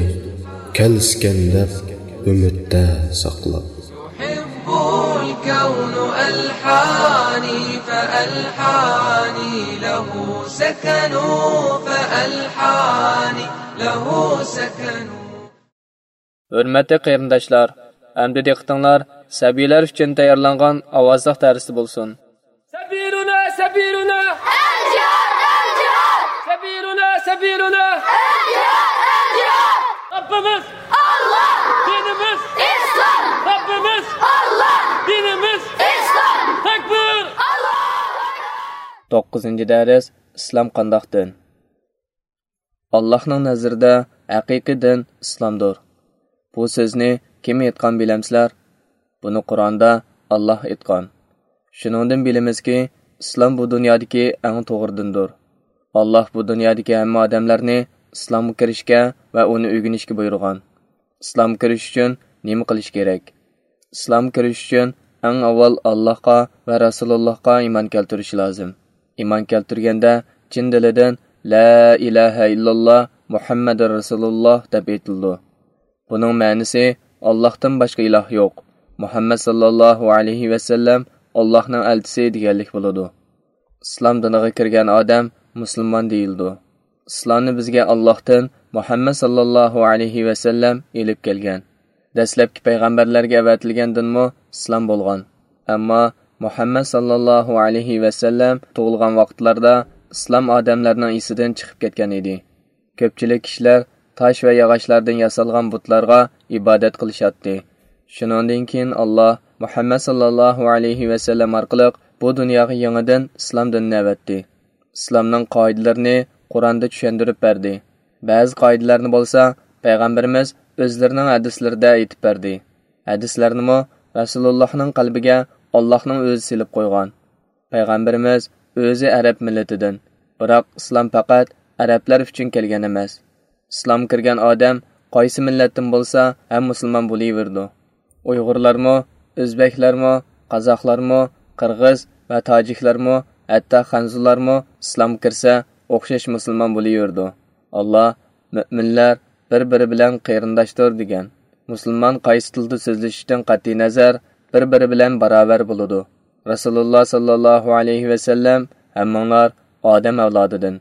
كەلسىكەن دەپ ئۈمىدتە ساقلاپ. يحب الكون ألحاني فألحاني له سكن، فألحاني له سكن. ھۆرمەتلىك قېرىنداشلار، ئەمدى دىققىتىڭلار سەبىيلەر ئۈچۈن تەييارلانغان ئاۋازلىق دەرستە بولسۇن. سەبىيلۇنا، سەبىيلۇنا. ئەلجىھاد، ئەلجىھاد. سەبىيلۇنا، سەبىيلۇنا. ئەلجىھاد، ئەلجىھاد. رەببىمىز ئاللا. دىنىمىز ئىسلام. رەببىمىز ئاللا. توققۇزىنچى دەرس، ئىسلام قانداق دىن؟ ئاللاھنىڭ نەزىرىدە ھەقىقىي دىن ئىسلامدۇر. بۇ سۆزنى كىم ئېيتقان بىلەمسىلەر؟ بۇنى قۇرئاندا ئاللاھ ئېيتقان. شۇنىڭدىن بىلىمىزكى، ئىسلام بۇ دۇنيادىكى ئەڭ توغرا دىندۇر. ئاللاھ بۇ دۇنيادىكى ھەممە ئادەملەرنى ئىسلامغا كىرىشكە ۋە ئۇنى ئۆگىنىشكە بۇيرۇغان. ئىسلامغا كىرىش ئۈچۈن نېمە قىلىش كېرەك؟ ئىسلامغا كىرىش ئۈچۈن ئەڭ ئاۋۋال ئاللاھقا ۋە رەسۇلۇللاھقا ئىمان كەلتۈرۈش لازىم. ئىمان كەلتۈرگەندە چىن دىلىدىن «لا ئىلاھە ئىللاللا، مۇھەممەدۇر رەسۇلۇللا» دەپ ئېيتىلىدۇ. بۇنىڭ مەنىسى «ئاللاھتىن باشقا ئىلاھ يوق، مۇھەممەد ساللاللاھۇ ئەلەيھى ۋەسەللەم ئاللاھنىڭ ئەلچىسى» دېگەنلىك بولىدۇ. ئىسلام دىنىغا كىرگەن ئادەم مۇسۇلمان دېيىلىدۇ. ئىسلامنى بىزگە ئاللاھتىن، مۇھەممەد ساللاللاھۇ ئەلەيھى ۋەسەللەم ئېلىپ كەلگەن. دەسلەپكى پەيغەمبەرلەرگە ئەۋەتىلگەن دىنمۇ ئىسلام بولغان. ئەمما مۇھەممەد ساللاللاھۇ ئەلەيھى ۋەسەللەم تۇغۇلغان ۋاقىتلاردا ئىسلام ئادەملەرنىڭ ئېسىدىن چىقىپ كەتكەن ئىدى. كۆپچىلىك كىشىلەر تاش ۋە ياغاچلاردىن ياسالغان بۇتلارغا ئىبادەت قىلىشاتتى. شۇنىڭدىن كېيىن ئاللاھ مۇھەممەد ساللاللاھۇ ئەلەيھى ۋەسەللەم ئارقىلىق بۇ دۇنياغا يېڭىدىن ئىسلام دىنىنى ئەۋەتتى. ئىسلامنىڭ قائىدىلىرىنى قۇرئاندا چۈشەندۈرۈپ بەردى. بەزى قائىدىلەرنى بولسا پەيغەمبىرىمىز ئۆزلىرىنىڭ ھەدىسلىرىدە ئېيتىپ بەردى. ھەدىسلەرنىمۇ رەسۇلۇللاھنىڭ قەلبىگە ئاللاھنىڭ ئۆزى سېلىپ قويغان. پەيغەمبىرىمىز ئۆزى ئەرەب مىللىتىدىن، بىراق ئىسلام پەقەت ئەرەبلەر ئۈچۈن كەلگەن ئەمەس. ئىسلامغا كىرگەن ئادەم قايسى مىللەتتىن بولسا ھەم مۇسۇلمان بولۇۋېرىدۇ. ئۇيغۇرلارمۇ، ئۆزبەكلەرمۇ، قازاقلارمۇ، قىرغىز ۋە تاجىكلارمۇ، ھەتتا خەنزۇلارمۇ ئىسلامغا كىرسە ئوخشاش مۇسۇلمان بولۇۋېرىدۇ. ئاللاھ مۆمىنلەر بىر-بىرى بىلەن قېرىنداشتۇر دېگەن. مۇسۇلمان قايسى تىلدا سۆزلىشىشتىن قەتئىينەزەر بىر-بىرى بىلەن باراۋەر بولىدۇ. رەسۇلۇللاھ ساللاللاھۇ ئەلەيھى ۋەسەللەم ھەممىڭلار ئادەم ئەۋلادىدىن،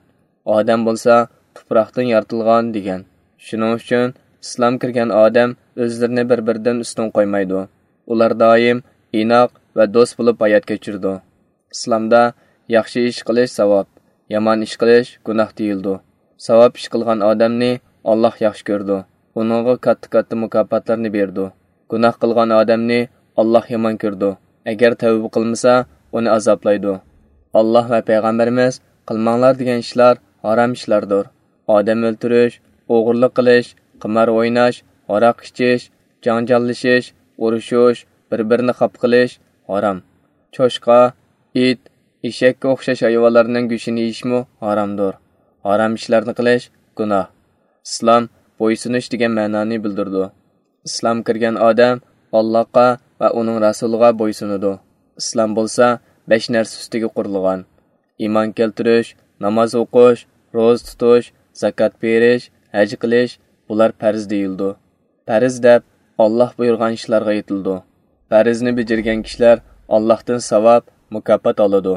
ئادەم بولسا تۇپراقتىن يارىتىلغان دېگەن. شۇنىڭ ئۈچۈن ئىسلام كىرگەن ئادەم ئۆزلىرىنى بىر-بىرىدىن ئۈستۈن قويمايدۇ. ئۇلار دائىم ئىناق ۋە دوست بولۇپ ھايات كەچۈرىدۇ. ئىسلامدا ياخشى ئىش قىلىش ساۋاب، يامان ئىش قىلىش گۇناھ دېيىلىدۇ. ساۋاب ئىش قىلغان ئادەمنى ئاللاھ ياخشى كۆرىدۇ، ئۇنىڭغا كاتتا-كاتتا مۇكاپاتلارنى بېرىدۇ. گۇناھ قىلغان ئادەمنى ئاللاھ يامان كۆرىدۇ، ئەگەر تەۋبە قىلمىسا، ئۇنى ئازابلايدۇ. ئاللاھ ۋە پەيغەمبىرىمىز قىلماڭلار دېگەن ئىشلار ھارام ئىشلاردۇر. ئادەم ئۆلتۈرۈش، ئوغرىلىق قىلىش، قىمار ئويناش، ھاراق ئىچىش، جاڭجاللىشىش، ئۇرۇشۇش، بىر-بىرىنى خاپا قىلىش ھارام. چوشقا، ئىت، ئېشەككە ئوخشاش ھايۋانلارنىڭ گۆشىنى يېيىشمۇ ھارامدۇر. ھارام ئىشلارنى قىلىش گۇناھ. ئىسلام بويسۇنۇش دېگەن مەنانى بىلدۈرىدۇ. ئىسلام كىرگەن ئادەم ئاللاھقا ۋە ئۇنىڭ رەسۇلىغا بويسۇنىدۇ. ئىسلام بولسا بەش نەرسە ئۈستىگە قۇرۇلغان. ئىمان كەلتۈرۈش، ناماز ئوقۇش، روزا تۇتۇش، زاكات بېرىش، ھەج قىلىش، بۇلار پەرز دېيىلىدۇ. پەرز دەپ ئاللاھ بۇيرۇغان ئىشلارغا ئېيتىلىدۇ. پەرزنى بېجىرگەن كىشىلەر ئاللاھتىن ساۋاب، مۇكاپات ئالىدۇ.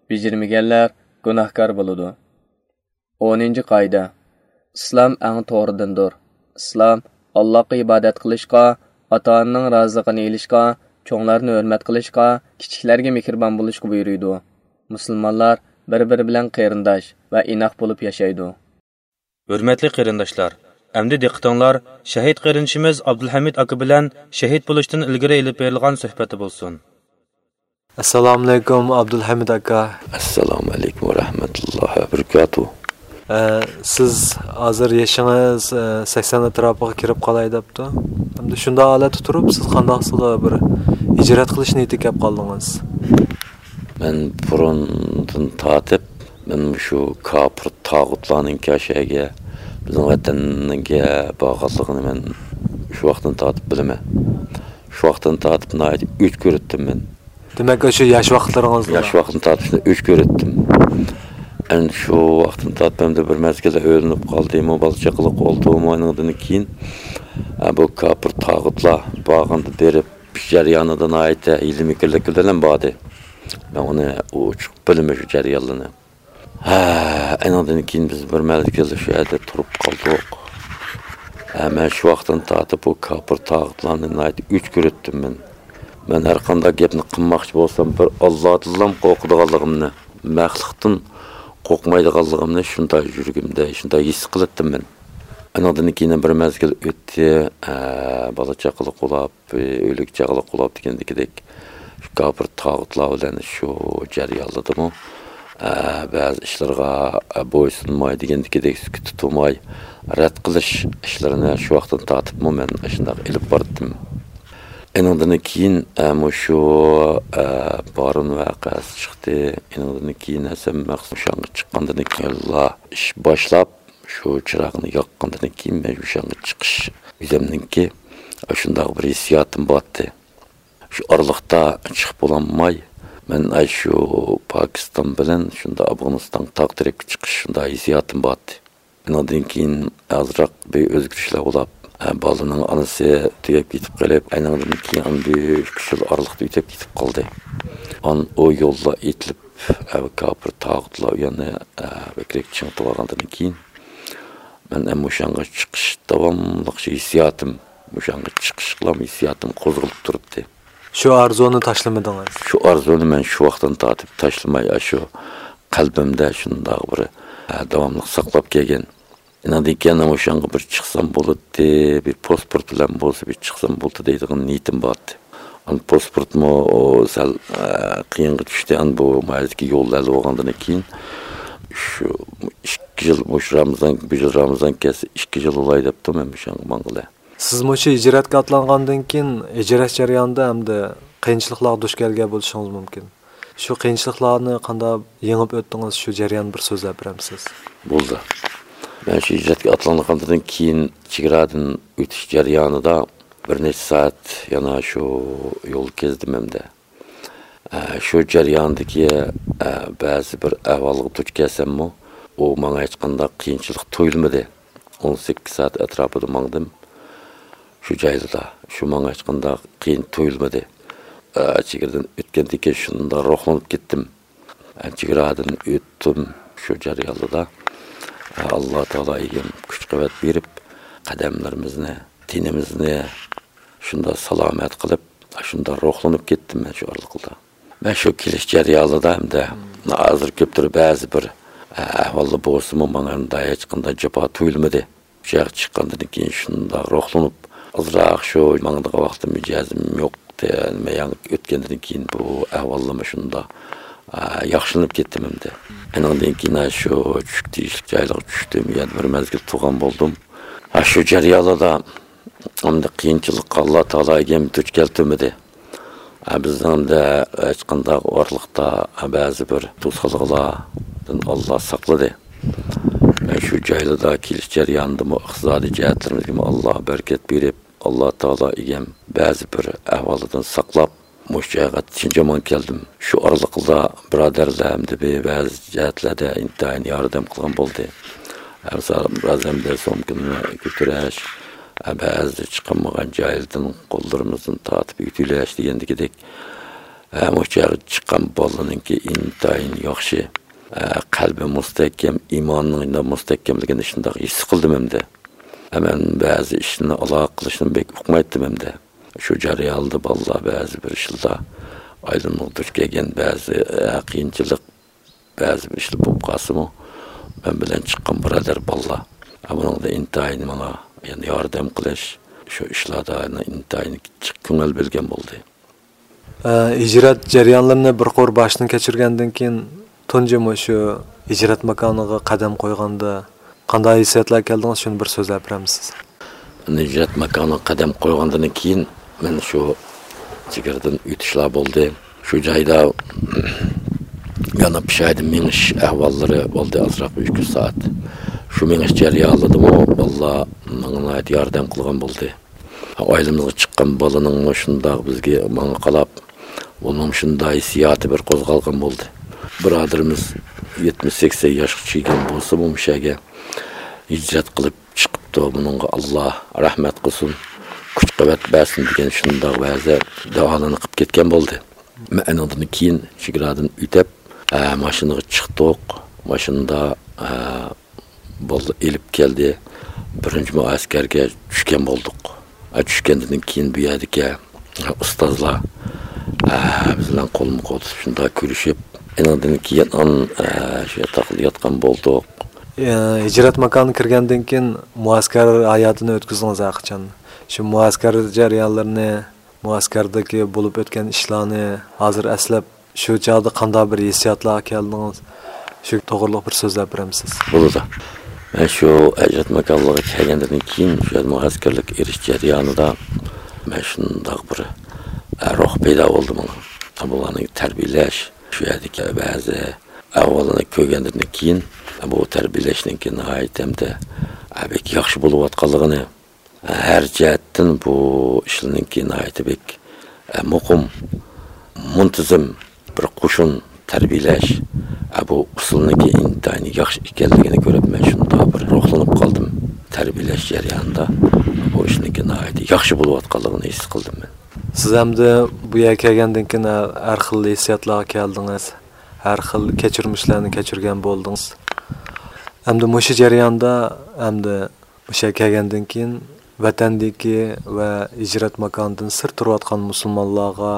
بېجىرمىگەنلەر گۇناھكار بولىدۇ. ئونىنچى قائىدە. ئىسلام ئەڭ توغرا دىندۇر. ئىسلام ئاللاھقا ئىبادەت قىلىشقا، ئاتا-ئانىنىڭ رازىلىقىنى ئېلىشقا، چوڭلارنى ھۆرمەت قىلىشقا، كىچىكلەرگە مېھرىبان بولۇشقا بۇيرۇيدۇ. مۇسۇلمانلار بىر-بىرى بىلەن قېرىنداش ۋە ئىناق بولۇپ ياشايدۇ. ھۆرمەتلىك قېرىنداشلار، ئەمدى دىققىتىڭلار شەھىت قېرىندىشىمىز ئابدۇلھەمىد ئاكا بىلەن شەھىت بولۇشتىن ئىلگىرى ئېلىپ بېرىلغان سۆھبەتتە بولسۇن. ئەسسالامۇئەلەيكۇم، ئابدۇلھەمىد ئاكا. ئەسسالامۇئەلەيكۇم ۋە رەھمەتۇللاھى ۋە بەرىكاتۇھ. ئە، سىز ھازىر يېشىڭىز، ئە، سەكسەن ئەتراپىغا كىرىپ قالاي دەپتۇ. ئەمدى شۇنداق ھالەتتە تۇرۇپ، سىز قانداقسىلا بىر ھىجرەت قىلىش نىيىتىگە كەپ قالدىڭىز؟ مەن بۇرۇندىن تارتىپ، مەن مۇشۇ كاپىر تاغۇتلارنىڭ كەشەگە، بىزنىڭ ۋەتەنگە بارغانلىقىنى مەن شۇ ۋاقىتتىن تارتىپ بىلىمەن. شۇ ۋاقىتتىن تارتىپ ناھايىتى ئۆچ كۆرۈتتۈم مەن. دېمەك، ئاشۇ ياش ۋاقىتلىرىڭىزدا؟ ياش ۋاقتىمدىن تارتىپ شۇنداق ئۆچ كۆرۈتتۈم. ئەمدى شۇ ۋاقىتتىن تارتىپ ئەمدى بىر مەزگىلدە ئۆيلىنىپ قالدىمۇ، بالا چاقىلىق بولدىمۇ، ئۇنىڭدىن كېيىن، ئە، بۇ كاپىر تاغۇتلار بارغاندا بېرىپ، شۇ جەريانىدا ناھايىتى ھىيلە-مىكىرلىك بىلەن باردى. مەن ئۇنى ئوچۇق بىلىمەن شۇ جەريانلىرىنى. ھە، ئېنىڭدىن كېيىن بىز بىر مەزگىل شۇ يەردە تۇرۇپ قالدۇق. ھە، مەن شۇ ۋاقىتتىن تارتىپ بۇ كاپىر تاغۇتلارنى ناھايىتى ئۆچ كۆرۈتتۈم مەن. مەن ھەر قانداق گەپنى قىلماقچى بولسام، بىر ئاللادىنلا قورقىدىغانلىقىمنى، مەخلۇقتىن قورقمايدىغانلىقىمنى شۇنداق يۈرىكىمدە، شۇنداق ھېس قىلاتتىم مەن. ئېنىڭدىن كېيىن بىر مەزگىل ئۆتتى. ھە، بالا چاقىلىق بولاپ، ئۆيلۈك چاغلىق بولاپ دېگەندىكىدەك، شۇ كاپىر تاغۇتلار بىلەن شۇ جەريانلىدىمۇ، ئە، بەزى ئىشلارغا، ئە، بويسۇنماي دېگەندىكىدەك سۈكۈتتە تۇرماي، رەت قىلىش ئىشلىرىنى شۇ ۋاقىتتىن تارتىپمۇ مەن ئاشۇنداق ئېلىپ باردىم. ئېنىڭدىن كېيىن، ئە، مۇشۇ، ئە، بارۇن ۋەقەسى چىقتى. ئېنىڭدىن كېيىن ھەسەن مەخسۇس شاڭغا چىققاندىن كېيىنلا ئىش باشلاپ، شۇ چىراغنى ياققاندىن كېيىن مەن شۇ شاڭغا چىقىش ئۆزۈمنىڭكى شۇنداق بىر ھېسسىياتىم بارتى. شۇ ئارىلىقتا چىقىپ بولالماي، مەن ئاشۇ پاكىستان بىلەن شۇنداق ئافغانىستان تاغ تەرەپكە چىقىش شۇنداق ھېسسىياتىم بارتى. ئۇنىڭدىن كېيىن ئازراق بىر ئۆزگىرىشلەر بولۇپ، ئە، بالىنىڭ ئانىسى تۈگەپ كېتىپ قېلىپ، ئەنىڭدىن كېيىن ئاندىن ئۈچ يىل ئارىلىقتا ئۆتۈپ كېتىپ قالدى. ئان ئۇ يوللار ئېتىلىپ، ئە، كاپىر تاغۇتلار ئۇ يەرنى، ئە، بەكرەك چىڭىتىۋالغاندىن كېيىن، مەن ئەمما مۇشۇ يەرگە چىقىش داۋاملىق شۇ ھېسسىياتىم، مۇشۇ يەرگە چىقىشقىلا ھېسسىياتىم قوزغىلىپ تۇرۇپتى. شۇ ئارزۇنى تاشلىمىدىڭىز؟ شۇ ئارزۇنى مەن شۇ ۋاقىتتىن تارتىپ تاشلىماي، ئاشۇ قەلبىمدە شۇنداق بىر، ئە، داۋاملىق ساقلاپ كەلگەن. ئاندىن كېيىن مۇشۇ يەرگە بىر چىقسام بولاتتى، بىر پاسپورت بىلەن بولسا بىر چىقسام بولاتتى دەيدىغان نىيىتىم بارتى. ئان پاسپورتمۇ سەل، ئە، قىيىنغا چۈشتى. ئان بۇ مايدىكى يول ھەل بولغاندىن كېيىن شۇ ئىككى يىل، مۇشۇ رامىزان، بۇ يىل رامىزان كەلسە ئىككى يىل بولاي دەپتۇ مەن مۇشۇ يەرگە ماڭغىلى. سىز مۇشۇ ھىجرەتكە ئاتلانغاندىن كېيىن، ھىجرەت جەريانىدا ھەمدە قىيىنچىلىقلارغا دۇچ كەلگەن بولۇشىڭىز مۇمكىن. شۇ قىيىنچىلىقلارنى قانداق يېڭىپ ئۆتتىڭىز؟ شۇ جەرياننى بىر سۆزلەپ بېرەمسىز؟ بولدى. مەن شۇ ھىجرەتكە ئاتلانغاندىن كېيىن چېگرادىن ئۆتۈش جەريانىدا بىر نەچچە سائەت يەنە شۇ يول كەزدىم ھەمدە. ئە، شۇ جەرياندىكى، ئە، بەزى بىر ئەھۋالغا دۇچ كەلسەممۇ، ئۇ ماڭا ھېچقانداق قىيىنچىلىق تۇيۇلمىدى. ئون سەككىز سائەت ئەتراپىدا ماڭدىم. شۇ جايلىدا، شۇ ماڭا ھېچقانداق قىيىن تۇيۇلمىدى. ئە، چېگرىدىن ئۆتكەندىن كېيىن شۇنداق روھلىنىپ كەتتىم. ئە، چېگرادىن ئۆتتۈم شۇ جەريانلىدا. ئە، ئاللا تائالا ئىگەم كۈچ-قۇۋۋەت بېرىپ، قەدەملىرىمىزنى، تېنىمىزنى شۇنداق سالامەت قىلىپ، شۇنداق روھلىنىپ كەتتىم مەن شۇ ئارىلىقتا. مەن شۇ كېلىش جەريانىدا ھەمدە ھازىر كۆپتۇر بەزى بىر، ئە، ئەھۋالدا بولسىمۇ، ماڭا ئۇنداق ھېچقانداق جاپا تۇيۇلمىدى. شۇ ياققا چىققاندىن كېيىن شۇنداق روھلىنىپ، ئازراق شۇ ماڭىدىغان ۋاقتىم ئىجازىم يوق. نېمە يەڭ ئۆتكەندىن كېيىن بۇ ئەھۋاللىرىمۇ شۇنداق، ئە، ياخشىلىنىپ كەتتىم ئەمدى. ئېنىڭدىن كېيىن شۇ چۈشۈپ تېگىشلىك جايلارغا چۈشتۈم. يەنە بىر مەزگىل تۇرغان بولدۇم. ھە، شۇ جەريانلاردا ئەمدى قىيىنچىلىققا ئاللا تائالا ئىگەم دۇچ كەلتۈرمىدى. ھە، بىزنىڭدە ھېچقانداق ئارىلىقتا بەزى بىر توسالغۇلاردىن ئاللا ساقلىدى. ھە، شۇ جايلاردا كېلىش جەريانىدىمۇ ئىقتىسادىي جەھەتلىرىمىزگىمۇ ئاللا بەرىكەت بېرىپ، ئاللا تائالا ئىگەم بەزى بىر ئەھۋالدىن ساقلاپ، مۇشۇ جايغا شىنجاڭ كەلدىم. شۇ ئارىلىقىدا بۇرادەرلەر ھەمدە بىر بەزى جەھەتلەردە ئىنتايىن ياردەم قىلغان بولدى. ھەم سا-، بەزەن بىر سومكىنى كۆتۈرۈش، بەزى چىقالمىغان جايلىرىدىن قوللىرىمىزدىن تارتىپ يۆتۈلۈش دېگەندىكىدەك، ھە، مۇشۇ يەرگە چىققان بالىنىڭكى ئىنتايىن ياخشى، ھە، قەلبى مۇستەھكەم، ئىمانىنىڭ مۇستەھكەملىكىنى شۇنداق ھېس قىلدىم ئەمدى. ھە، مەن بەزى ئىشنى ئالاقە قىلىشنى بەك ئۇقمايتتىم ئەمدى. شۇ جەرياندا بالىلار بەزى بىر ئىشلاردا ئايلىنىپ دۇچ كەلگەن بەزى، ھە، قىيىنچىلىق، بەزى بىر ئىشلار بولۇپ قالسىمۇ، مەن بىلەن چىققان بۇرادەر بالىلار، ھە، بۇنىڭدا ئىنتايىن ماڭا يەنە ياردەم قىلىش، شۇ ئىشلاردا يەنە ئىنتايىن جىق كۆڭۈل بۆلگەن بولدى. ئە، ھىجرەت جەريانلىرىنى بىر قۇر باشتىن كەچۈرگەندىن كېيىن، تۇنجى مۇشۇ ھىجرەت ماكانىغا قەدەم قويغاندا قانداق ھېسسىياتلار كەلدىڭىز، شۇنى بىر سۆزلەپ بېرەمسىز؟ ھىجرەت ماكانىغا قەدەم قويغاندىن كېيىن، مەن شۇ چېگرىدىن ئۆتۈشلەر بولدى. شۇ جايدا يەنە پىشايدىن مېڭىش ئەھۋاللىرى بولدى، ئازراق ئۈچ سائەت. شۇ مېڭىش جەريانىدىمۇ بالىلار ماڭا ناھايىتى ياردەم قىلغان بولدى. ئائىلىمىزگە چىققان بالىنىڭمۇ شۇنداق بىزگە، ماڭا قاراپ، ئۇنىڭ شۇنداق ھېسسىياتى بىر قوزغالغان بولدى. بۇرادىرىمىز يەتمىش سەكسەن ياشقا چىققان بولسىمۇ، مۇشۇ يەرگە ھىجرەت قىلىپ چىقىپتۇ، بۇنىڭغا ئاللا رەھمەت قىلسۇن، كۈچ-قۇۋۋەت بەرسۇن دېگەن شۇنداق ۋەزە دۇئالارنى قىلىپ كەتكەن بولدى. مەن ئۇنىڭدىن كېيىن چېگرادىن ئۆتۈپ، ئە، ماشىنىغا چىقتۇق. ماشىنىدا، ئە، بالىلار ئېلىپ كەلدى. بىرىنچى مۇئەسكەرگە چۈشكەن بولدۇق. ئە، چۈشكەندىن كېيىن بۇ يەردىكى ئۇستازلار، ئە، بىز بىلەن قولمۇ قول تۇتۇپ شۇنداق كۆرۈشۈپ، ئېنىڭدىن كېيىن ئان-، ئە، شۇ ياتاقتا ياتقان بولدۇق. ئە، ھىجرەت ماكانىغا كىرگەندىن كېيىن مۇئەسكەر ھاياتىنى ئۆتكۈزدىڭىز ھەرقاچان. شۇ مۇئەسكەر جەريانلىرىنى، مۇئەسكەردىكى بولۇپ ئۆتكەن ئىشلارنى ھازىر ئەسلەپ، شۇ چاغدا قانداق بىر ھېسسىياتلارغا كەلدىڭىز؟ شۇ توغرىلىق بىر سۆزلەپ بېرەمسىز؟ بولىدۇ. مەن شۇ ھىجرەت ماكانلىقىغا كەلگەندىن كېيىن، شۇ يەردە مۇھەجىرلىك ئېرىش جەريانىدا مەن شۇنداق بىر، ئە، روھ پەيدا بولدى ماڭا. بۇلارنى تەربىيەلەش، شۇ يەردىكى بەزى ئەھۋاللارنى كۆرگەندىن كېيىن، بۇ تەربىيەلەشنىڭكى ناھايىتى ھەمدە، ئە، بەك ياخشى بولۇۋاتقانلىقىنى، ھەر جەھەتتىن بۇ ئىشلارنىڭكى ناھايىتى بەك، ئە، مۇقىم، مۇنتىزىم بىر قوشۇن تەربىيەلەش، ئە، بۇ ئۇسۇلنىڭكى ئىنتايىن ياخشى ئىكەنلىكىنى كۆرۈپ، مەن شۇنداق بىر روھلىنىپ قالدىم. تەربىيەلەش جەريانىدا بۇ ئىشنىڭكى ناھايىتى ياخشى بولۇۋاتقانلىقىنى ھېس قىلدىم مەن. سىز ئەمدى بۇ يەرگە كەلگەندىن كېيىن ھەر، ھەر خىل ھېسسىياتلارغا كەلدىڭىز، ھەر خىل كەچۈرمىشلەرنى كەچۈرگەن بولدىڭىز. ئەمدى مۇشۇ جەرياندا، ئەمدى مۇشۇ يەرگە كەلگەندىن كېيىن، ۋەتەندىكى ۋە ھىجرەت ماكانىدىن سىرت تۇرۇۋاتقان مۇسۇلمانلارغا،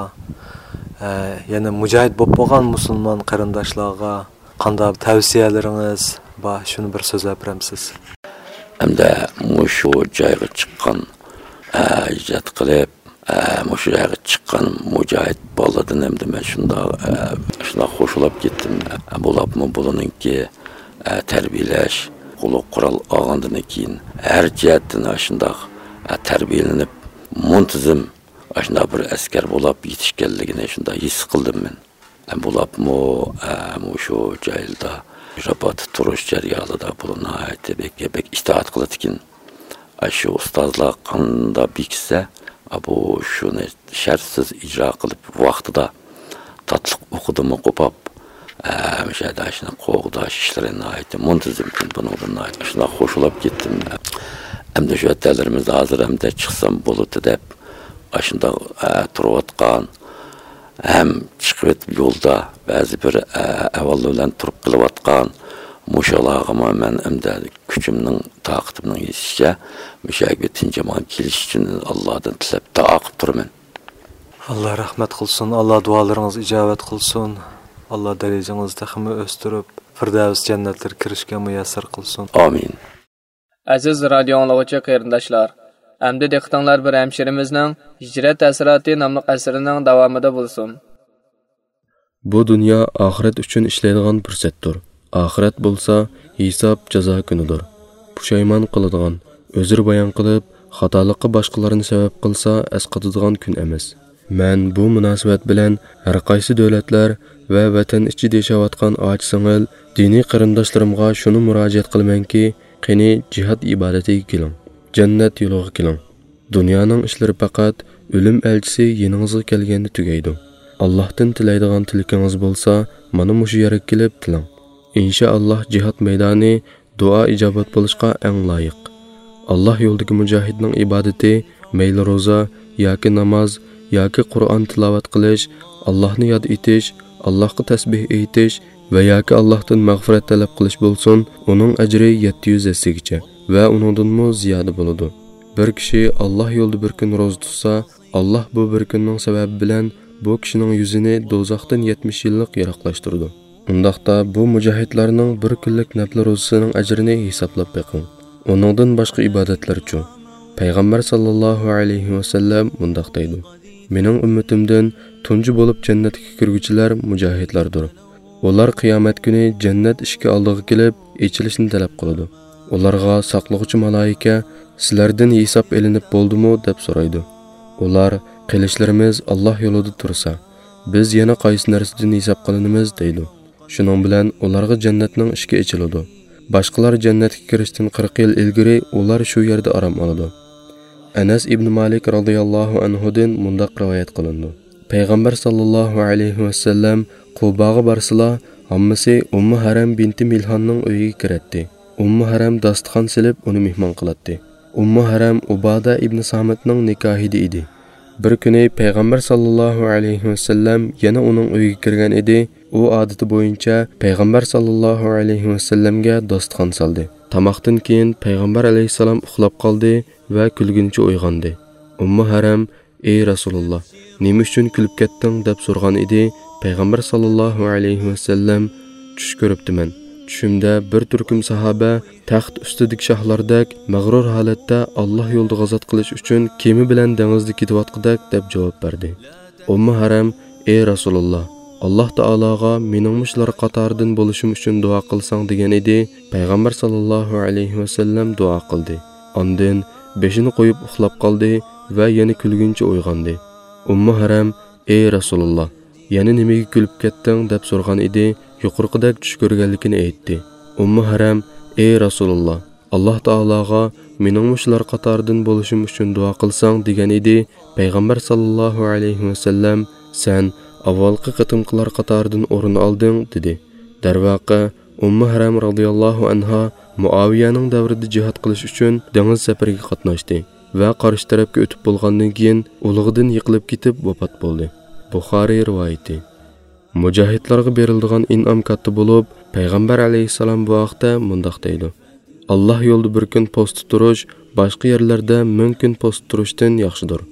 ئە، يەنە مۇجاھىد بولۇپ بولغان مۇسۇلمان قېرىنداشلارغا قانداق تەۋسىيەلىرىڭىز بار؟ شۇنى بىر سۆزلەپ بېرەمسىز؟ ئەمدى مۇشۇ جايغا چىققان، ئە، ھىجرەت قىلىپ، ئە، مۇشۇ جايغا چىققان مۇجاھىد بالىدىن ئەمدى مەن شۇنداق، ئە، شۇنداق خوش بولاپ كەتتىم. ئە، بولۇپمۇ بۇلىنىڭكى، ئە، تەربىيەلەش، قولىغا قورال ئالغاندىن كېيىن ھەر جەھەتتىن ئاشۇنداق، ئە، تەربىيەلىنىپ، مۇنتىزىم ئاشۇنداق بىر ئەسكەر بولاپ يېتىشكەنلىكىنى شۇنداق ھېس قىلدىم مەن. ئە، بولۇپمۇ، ئە، مۇشۇ جايلىدا راباتتا تۇرۇش جەريانىدا بۇلار ناھايىتى بەك، بەك ئىتائەت قىلىدىكەن. ئاشۇ ئۇستازلار قانداق بېكىتسە، بۇ شۇنى شەرتسىز ئىجرا قىلىپ، ۋاقتىدا تاتلىق ئوقىدىمۇ قوپاپ، ئە، مۇشۇ يەردە شۇنى قوغداش ئىشلىرى ناھايىتى مۇنتىزىم. بۇنىڭدىن ناھايىتى شۇنداق خوش بولاپ كەتتىم. ئەمدى شۇ ۋەتەنلىرىمىزدە ھازىر ئەمدى چىقسام بولىدۇ دەپ، ئاشۇنداق، ئە، تۇرۇۋاتقان، ھەم چىقىۋېتىپ يولدا بەزى بىر، ئە، ئەھۋاللار بىلەن تۇرۇپ قېلىۋاتقان مۇشۇلارغىمۇ مەن ئەمدى كۈچۈمنىڭ، تاقىتىمنىڭ يېتىشىچە مۇشۇ يەرگە تىنچ-ئامان كېلىش ئۈچۈن ئاللادىن تىلەپ، دۇئا قىلىپ تۇرىمەن. ئاللا رەھمەت قىلسۇن، ئاللا دۇئالىرىڭىزغا ئىجابەت قىلسۇن، ئاللا دەرىجىڭىزنى تېخىمۇ ئۆستۈرۈپ، فىردەۋس جەننەتلىرىگە كىرىشكە مۇيەسسەر قىلسۇن. ئامىن. ئەزىز رادىيو ئاڭلىغۇچى قېرىنداشلار، ئەمدى دىققىتىڭلار بىر ھەمشىرىمىزنىڭ ھىجرەت ھەسراتى ناملىق ئەسىرىنىڭ داۋامىدا بولسۇن. بۇ دۇنيا ئاخىرەت ئۈچۈن ئىشلەيدىغان پۇرسەتتۇر. ئاخىرەت بولسا ھېساب، جازا كۈنىدۇر. پۇشايمان قىلىدىغان، ئۆزرە بايان قىلىپ، خاتالىققا باشقىلارنى سەۋەب قىلسا ئەسقاتىدىغان كۈن ئەمەس. مەن بۇ مۇناسىۋەت بىلەن ھەر قايسى دۆلەتلەر ۋە ۋەتەن ئىچىدە ياشاۋاتقان ئاچا-سىڭىل دىنىي قېرىنداشلىرىمغا شۇنى مۇراجىئەت قىلىمەنكى، قېنى جىھاد ئىبادىتىگە كېلىڭ، جەننەت يولىغا كېلىڭ. دۇنيانىڭ ئىشلىرى پەقەت ئۆلۈم ئەلچىسى يېنىڭىزغا كەلگەندە تۈگەيدۇ. ئاللاھتىن تىلەيدىغان تىلىكىڭىز بولسا، مانا مۇشۇ يەرگە كېلىپ تىلەڭ. ئىنشائاللاھ جىھاد مەيدانى دۇئا ئىجابەت بولۇشقا ئەڭ لايىق. ئاللاھ يولىدىكى مۇجاھىدنىڭ ئىبادىتى مەيلى روزا ياكى ناماز ياكى قۇرئان تىلاۋەت قىلىش، ئاللاھنى ياد ئېتىش، ئاللاھقا تەسبىھ ئېيتىش ۋە ياكى ئاللاھتىن مەغپىرەت تەلەپ قىلىش بولسۇن، ئۇنىڭ ئەجرى يەتتە يۈز ھەسسىگىچە ۋە ئۇنىڭدىنمۇ زىيادە بولىدۇ. بىر كىشى ئاللاھ يولىدا بىر كۈن روزا تۇتسا، ئاللاھ بۇ بىر كۈننىڭ سەۋەبى بىلەن بۇ كىشىنىڭ يۈزىنى دوزاختىن يەتمىش يىللىق يىراقلاشتۇرىدۇ. ئۇنداقتا بۇ مۇجاھىدلارنىڭ بىر كۈنلۈك نەپلى روزىسىنىڭ ئەجرىنى ھېسابلاپ بېقىڭ. ئۇنىڭدىن باشقا ئىبادەتلەرچۇ؟ پەيغەمبەر ساللاللاھۇ ئەلەيھى ۋەسەللەم مۇنداق دەيدۇ: مېنىڭ ئۈممىتىمدىن تۇنجى بولۇپ جەننەتكە كىرگۈچىلەر مۇجاھىدلاردۇر. ئۇلار قىيامەت كۈنى جەننەت ئىشىكى ئالدىغا كېلىپ، ئېچىلىشنى تەلەپ قىلىدۇ. ئۇلارغا ساقلىغۇچى مالائىكە: «سىلەردىن ھېساب ئېلىنىپ بولدىمۇ؟» دەپ سورايدۇ. ئۇلار: «قىلىچلىرىمىز ئاللاھ يولىدا تۇرسا، بىز يەنە قايسى نەرسىدىن ھېساب قىلىنىمىز؟» دەيدۇ. شۇنىڭ بىلەن ئۇلارغا جەننەتنىڭ ئىشىكى ئېچىلىدۇ. باشقىلار جەننەتكە كىرىشتىن قىرىق يىل ئىلگىرى ئۇلار شۇ يەردە ئارام ئالىدۇ. ئەنەس ئىبنى مالىك رازىياللاھۇ ئەنھۇدىن مۇنداق رىۋايەت قىلىنىدۇ: پەيغەمبەر ساللاللاھۇ ئەلەيھى ۋەسەللەم قۇباغا بارسىلا، ھاممىسى ئۇممۇ ھەرەم بىنتى مىلھاننىڭ ئۆيىگە كىرەتتى. ئۇممۇ ھەرەم داستىخان سېلىپ، ئۇنى مېھمان قىلاتتى. ئۇممۇ ھەرەم ئۇبادە ئىبنى سامىتنىڭ نىكاھىدا ئىدى. بىر كۈنى پەيغەمبەر ساللاللاھۇ ئەلەيھى ۋەسەللەم يەنە ئۇنىڭ ئۆيىگە كىرگەن ئىدى. ئۇ ئادىتى بويىچە پەيغەمبەر ساللاللاھۇ ئەلەيھى ۋەسەللەمگە داستىخان سالدى. تاماقتىن كېيىن پەيغەمبەر ئەلەيھىسسالام ئۇخلاپ قالدى ۋە كۈلگىنىچە ئويغاندى. ئۇممۇ ھەرەم: «ئەي رەسۇلۇللا، نېمە ئۈچۈن كۈلۈپ كەتتىڭ؟» دەپ سورىغان ئىدى. پەيغەمبەر ساللاللاھۇ ئەلەيھى ۋەسەللەم: «چۈش كۆرۈپتىمەن. چۈشۈمدە بىر تۈركۈم ساھابە تەخت ئۈستىدىكى شاھلاردەك مەغرۇر ھالەتتە ئاللاھ يولىدا غازات قىلىش ئۈچۈن كېمە بىلەن دېڭىزدا كېتىۋاتقۇدەك» دەپ جاۋاب بەردى. ئۇممۇ ھەرەم: «ئەي رەسۇلۇللا، «ئاللاھ تائالاغا مېنىڭمۇ شۇلار قاتارىدىن بولۇشۇم ئۈچۈن دۇئا قىلساڭ» دېگەن ئىدى. پەيغەمبەر ساللاللاھۇ ئەلەيھى ۋەسەللەم دۇئا قىلدى. ئاندىن بېشىنى قويۇپ ئۇخلاپ قالدى ۋە يەنە كۈلگىنىچە ئويغاندى. ئۇممۇ ھەرەم: «ئەي رەسۇلاللاھ، يەنە نېمىگە كۈلۈپ كەتتىڭ؟» دەپ سورىغان ئىدى. يۇقىرىقىدەك چۈش كۆرگەنلىكىنى ئېيتتى. ئۇممۇ ھەرەم: «ئەي رەسۇلاللاھ، ئاللاھ تائالاغا مېنىڭمۇ شۇلار قاتارىدىن بولۇشۇم ئۈچۈن دۇئا قىلساڭ» دېگەن ئىدى. پەيغەمبەر ساللاللاھۇ ئەلەيھى ۋەسەللەم: «سەن ئاۋۋالقى قېتىمقىلار قاتارىدىن ئورۇن ئالدىڭ» دېدى. دەرۋەقە، ئۇممۇ ھەرەم رازىياللاھۇ ئەنھا مۇئاۋىيەنىڭ دەۋرىدە جىھاد قىلىش ئۈچۈن دېڭىز سەپىرىگە قاتناشتى ۋە قارشى تەرەپكە ئۆتۈپ بولغاندىن كېيىن ئۇلىغىدىن يىقىلىپ كېتىپ ۋاپات بولدى. بۇخارىي رىۋايىتى. مۇجاھىدلارغا بېرىلىدىغان ئىنئام كاتتا بولۇپ، پەيغەمبەر ئەلەيھىسسالام بۇ ھەقتە مۇنداق دەيدۇ: «ئاللاھ يولىدا بىر كۈن پوستتا تۇرۇش باشقا يەرلەردە مىڭ كۈن پوستتا تۇرۇشتىن ياخشىدۇر.»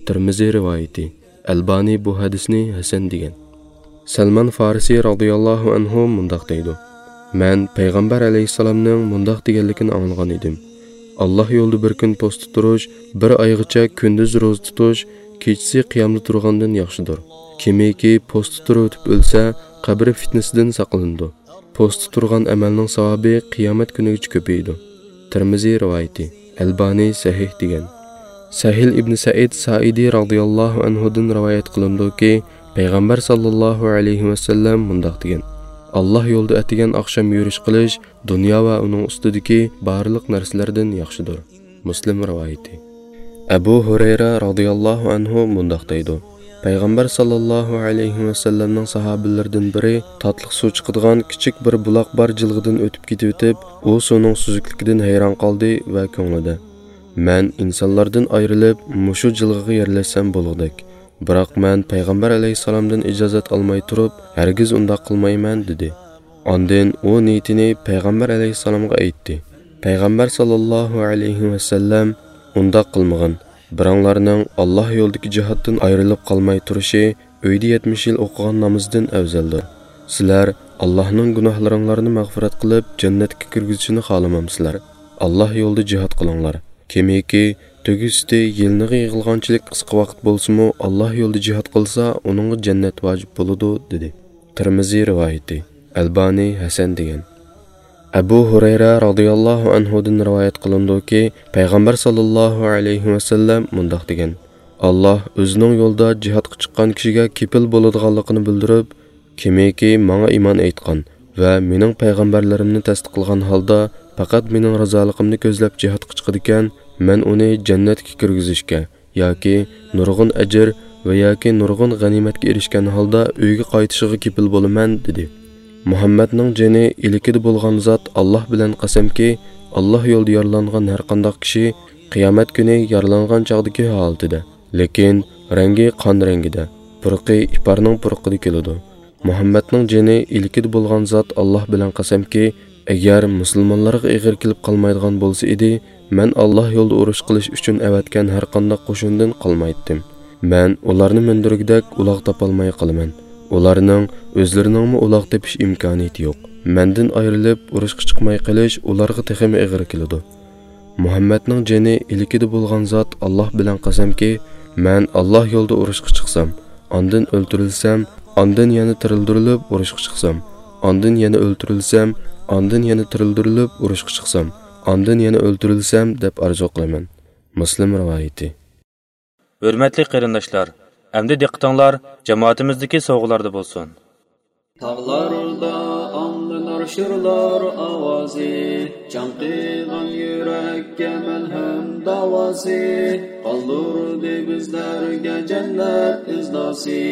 تىرمىزى رىۋايىتى. ئەلبانى بۇ ھەدىسنى ھەسەن دېگەن. سەلمان فارسى رازىياللاھۇ ئەنھۇ مۇنداق دەيدۇ: «مەن پەيغەمبەر ئەلەيھىسسالامنىڭ مۇنداق دېگەنلىكىنى ئاڭلىغان ئىدىم: ئاللاھ يولىدا بىر كۈن پوستتا تۇرۇش بىر ئايغىچە كۈندۈز روزا تۇتۇش، كېچىسى قىيامدا تۇرغاندىن ياخشىدۇر. كىمكى پوستتا تۇرۇۋېتىپ ئۆلسە، قەبرە فىتنىسىدىن ساقلىنىدۇ. پوستتا تۇرغان ئەمەلنىڭ ساۋابى قىيامەت كۈنىگىچە كۆپىيىدۇ.» تىرمىزى رىۋايىتى. ئەلبانى سەھىھ دېگەن. سەھىل ئىبنى سەئىد سائىدى رازىياللاھۇ ئەنھۇدىن رىۋايەت قىلىنىدۇكى، پەيغەمبەر ساللاللاھۇ ئەلەيھى ۋەسەللەم مۇنداق دېگەن: «ئاللاھ يولىدا ئەتىگەن ئاخشام يۈرۈش قىلىش دۇنيا ۋە ئۇنىڭ ئۈستىدىكى بارلىق نەرسىلەردىن ياخشىدۇر.» مۇسلىم رىۋايىتى. ئەبۇ ھۇرەيرە رازىياللاھۇ ئەنھۇ مۇنداق دەيدۇ: پەيغەمبەر ساللاللاھۇ ئەلەيھى ۋەسەللەمنىڭ ساھابىلىرىدىن بىرى تاتلىق سۇ چىقىدىغان كىچىك بىر بۇلاق بار جىلغىدىن ئۆتۈپ كېتىۋېتىپ، ئۇ سۇنىڭ سۈزۈكلۈكىدىن ھەيران قالدى ۋە كۆڭلىدە: «مەن ئىنسانلاردىن ئايرىلىپ، مۇشۇ جىلغىغا يەرلەشسەم بولغۇدەك. بىراق مەن پەيغەمبەر ئەلەيھىسسالامدىن ئىجازەت ئالماي تۇرۇپ، ھەرگىز ئۇنداق قىلمايمەن» دېدى. ئاندىن ئۇ نىيىتىنى پەيغەمبەر ئەلەيھىسسالامغا ئېيتتى. پەيغەمبەر ساللاللاھۇ ئەلەيھى ۋەسەللەم: «ئۇنداق قىلمىغىن. بىراڭلارنىڭ ئاللاھ يولىدىكى جىھادتىن ئايرىلىپ قالماي تۇرۇشى ئۆيدە يەتمىش يىل ئوقۇغان نامىزىدىن ئەۋزەلدۇر. سىلەر ئاللاھنىڭ گۇناھلىرىڭلارنى مەغپىرەت قىلىپ، جەننەتكە كىرگۈزۈشىنى خالىمامسىلەر؟ ئاللاھ يولىدا جىھاد قىلىڭلار. كىمكى تۆگە سۈتى يېلىنىغا يىغىلغانچىلىك قىسقا ۋاقىت بولسىمۇ، ئاللاھ يولىدا جىھاد قىلسا، ئۇنىڭغا جەننەت ۋاجىپ بولىدۇ» دېدى. تىرمىزى رىۋايىتى. ئەلبانى ھەسەن دېگەن. ئەبۇ ھۇرەيرە رازىياللاھۇ ئەنھۇدىن رىۋايەت قىلىنىدۇكى، پەيغەمبەر ساللاللاھۇ ئەلەيھى ۋەسەللەم مۇنداق دېگەن: «ئاللاھ ئۆزىنىڭ يولىدا جىھادقا چىققان كىشىگە كېپىل بولىدىغانلىقىنى بىلدۈرۈپ، كىمكى ماڭا ئىمان ئېيتقان ۋە مېنىڭ پەيغەمبەرلىرىمنى تەستىقلىغان ھالدا پەقەت مېنىڭ رازالىقىمنى كۆزلەپ جىھادقا چىقىدىكەن، مەن ئۇنى جەننەتكە كىرگۈزۈشكە ياكى نۇرغۇن ئەجىر ۋە ياكى نۇرغۇن غەنىيمەتكە ئېرىشكەن ھالدا ئۆيىگە قايتىشىغا كېپىل بولىمەن» دېدى. مۇھەممەدنىڭ جېنى ئىلكىدە بولغان زات ئاللاھ بىلەن قەسەمكى، ئاللاھ يولىدا يارىلانغان ھەرقانداق كىشى قىيامەت كۈنى يارىلانغان چاغدىكى ھالىتىدە، لېكىن رەڭگى قان رەڭگىدە، پۇرىقى ئىپارنىڭ پۇرىقىدا كېلىدۇ. مۇھەممەدنىڭ جېنى ئىلكىدە بولغان زات ئاللاھ بىلەن قەسەمكى، ئەگەر مۇسۇلمانلارغا ئېغىر كېلىپ قالمايدىغان بولسا ئىدى، مەن ئاللاھ يولىدا ئۇرۇش قىلىش ئۈچۈن ئەۋەتكەن ھەرقانداق قوشۇندىن قالمايتتىم. مەن ئۇلارنى مىندۈرگۈدەك ئۇلاغ تاپالماي قالىمەن. ئۇلارنىڭ ئۆزلىرىنىڭمۇ ئۇلاغ تېپىش ئىمكانىيىتى يوق. مەندىن ئايرىلىپ ئۇرۇشقا چىقماي قېلىش ئۇلارغا تېخىمۇ ئېغىر كېلىدۇ. مۇھەممەدنىڭ جېنى ئىلكىدە بولغان زات ئاللاھ بىلەن قەسەمكى، مەن ئاللاھ يولىدا ئۇرۇشقا چىقسام، ئاندىن ئۆلتۈرۈلسەم، ئاندىن يەنە تىرىلدۈرۈلۈپ ئۇرۇشقا چىقسام، ئاندىن يەنە ئۆلتۈرۈلسەم، ئاندىن يەنە تىرىلدۈرۈلۈپ ئۇرۇشقا چىقسام، ئاندىن يەنە ئۆلتۈرۈلسەم دەپ ئارزۇ قىلىمەن. مۇسلىم رىۋايىتى. ھۆرمەتلىك قېرىنداشلار، ئەمدى دىققىتىڭلار جامائىتىمىزدىكى سوۋغىلاردا بولسۇن. تاغلاردا ئاڭلىنار شىرلار ئاۋازى، چاڭقىغان يۈرەككە مەلھەم داۋاسى، قالدۇردى بىزلەرگە جەننەت ئىزناسى،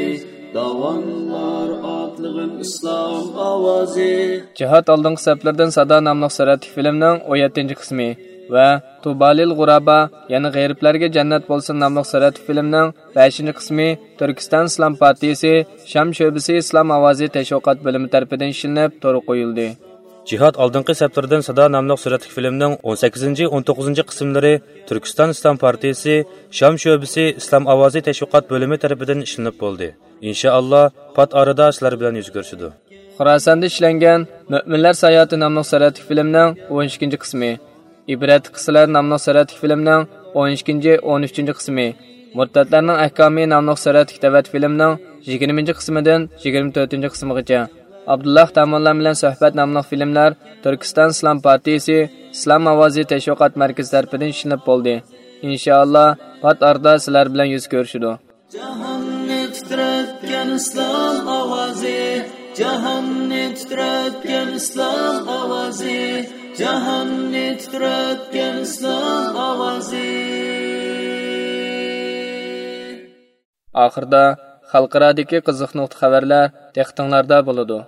داۋانلار ئاتلىغىن ئىسلام ئاۋازى. جىھاد ئالدىنقى سەپلىرىدىن سادا ناملىق سۈرەتلىك فىلىمنىڭ ئون يەتتىنچى قىسمى ۋە تۇبالىل غۇرابا، يەنى غېرىبلەرگە جەننەت بولسۇن ناملىق سۈرەتلىك فىلىمنىڭ بەشىنچى قىسمى تۈركىستان ئىسلام پارتىيىسى شام شۆبىسى ئىسلام ئاۋازى تەشۋىقات بۆلۈمى تەرىپىدىن ئىشلىنىپ تورغا قويۇلدى. جىھاد ئالدىنقى سەپلىرىدىن سادا ناملىق سۈرەتلىك فىلىمنىڭ ئون سەككىزىنچى، ئون توققۇزىنچى قىسىملىرى تۈركىستان ئىسلام پارتىيىسى شام شۆبىسى ئىسلام ئاۋازى تەشۋىقات بۆلۈمى تەرىپىدىن ئىشلىنىپ بولدى. ئىنشائاللا، پات ئارىدا سىلەر بىلەن يۈز كۆرۈشىدۇ. خوراساندا ئىشلەنگەن مۆمىنلەر ساياھىتى ناملىق سۈرەتلىك فىلىمنىڭ ئون ئىككىنچى قىسمى، ئىبرەتلىك قىسسىلەر ناملىق سۈرەتلىك فىلىمنىڭ ئون ئىككىنچى، ئون ئۈچىنچى قىسمى، مۇرتەتلەرنىڭ ئەھكامى ناملىق سۈرەتلىك تەۋەت فىلىمنىڭ يىگىرمىنچى قىسمىدىن يىگىرمە تۆتىنچى قىسمىغىچە، ئابدۇللا تامۇللام بىلەن سۆھبەت ناملىق فىلىملەر تۈركىستان ئىسلام پارتىيىسى ئىسلام ئاۋازى تەشۋىقات مەركىزى تەرىپىدىن ئىشلىنىپ بولدى. ئىنشائاللا، پات ئارىدا سىلەر بىلەن يۈز كۆرۈشىدۇ. جاھاننى تىترەتكەن ئىسلام ئاۋازى، جاھاننى تىترەتكەن ئىسلام ئاۋازى، جاھاننى تىترەتكەن ئىسلام ئاۋازى. ئاخىردا خەلقئارادىكى قىزىق نۇقتا خەۋەرلەر دىققىتىڭلاردا بولىدۇ.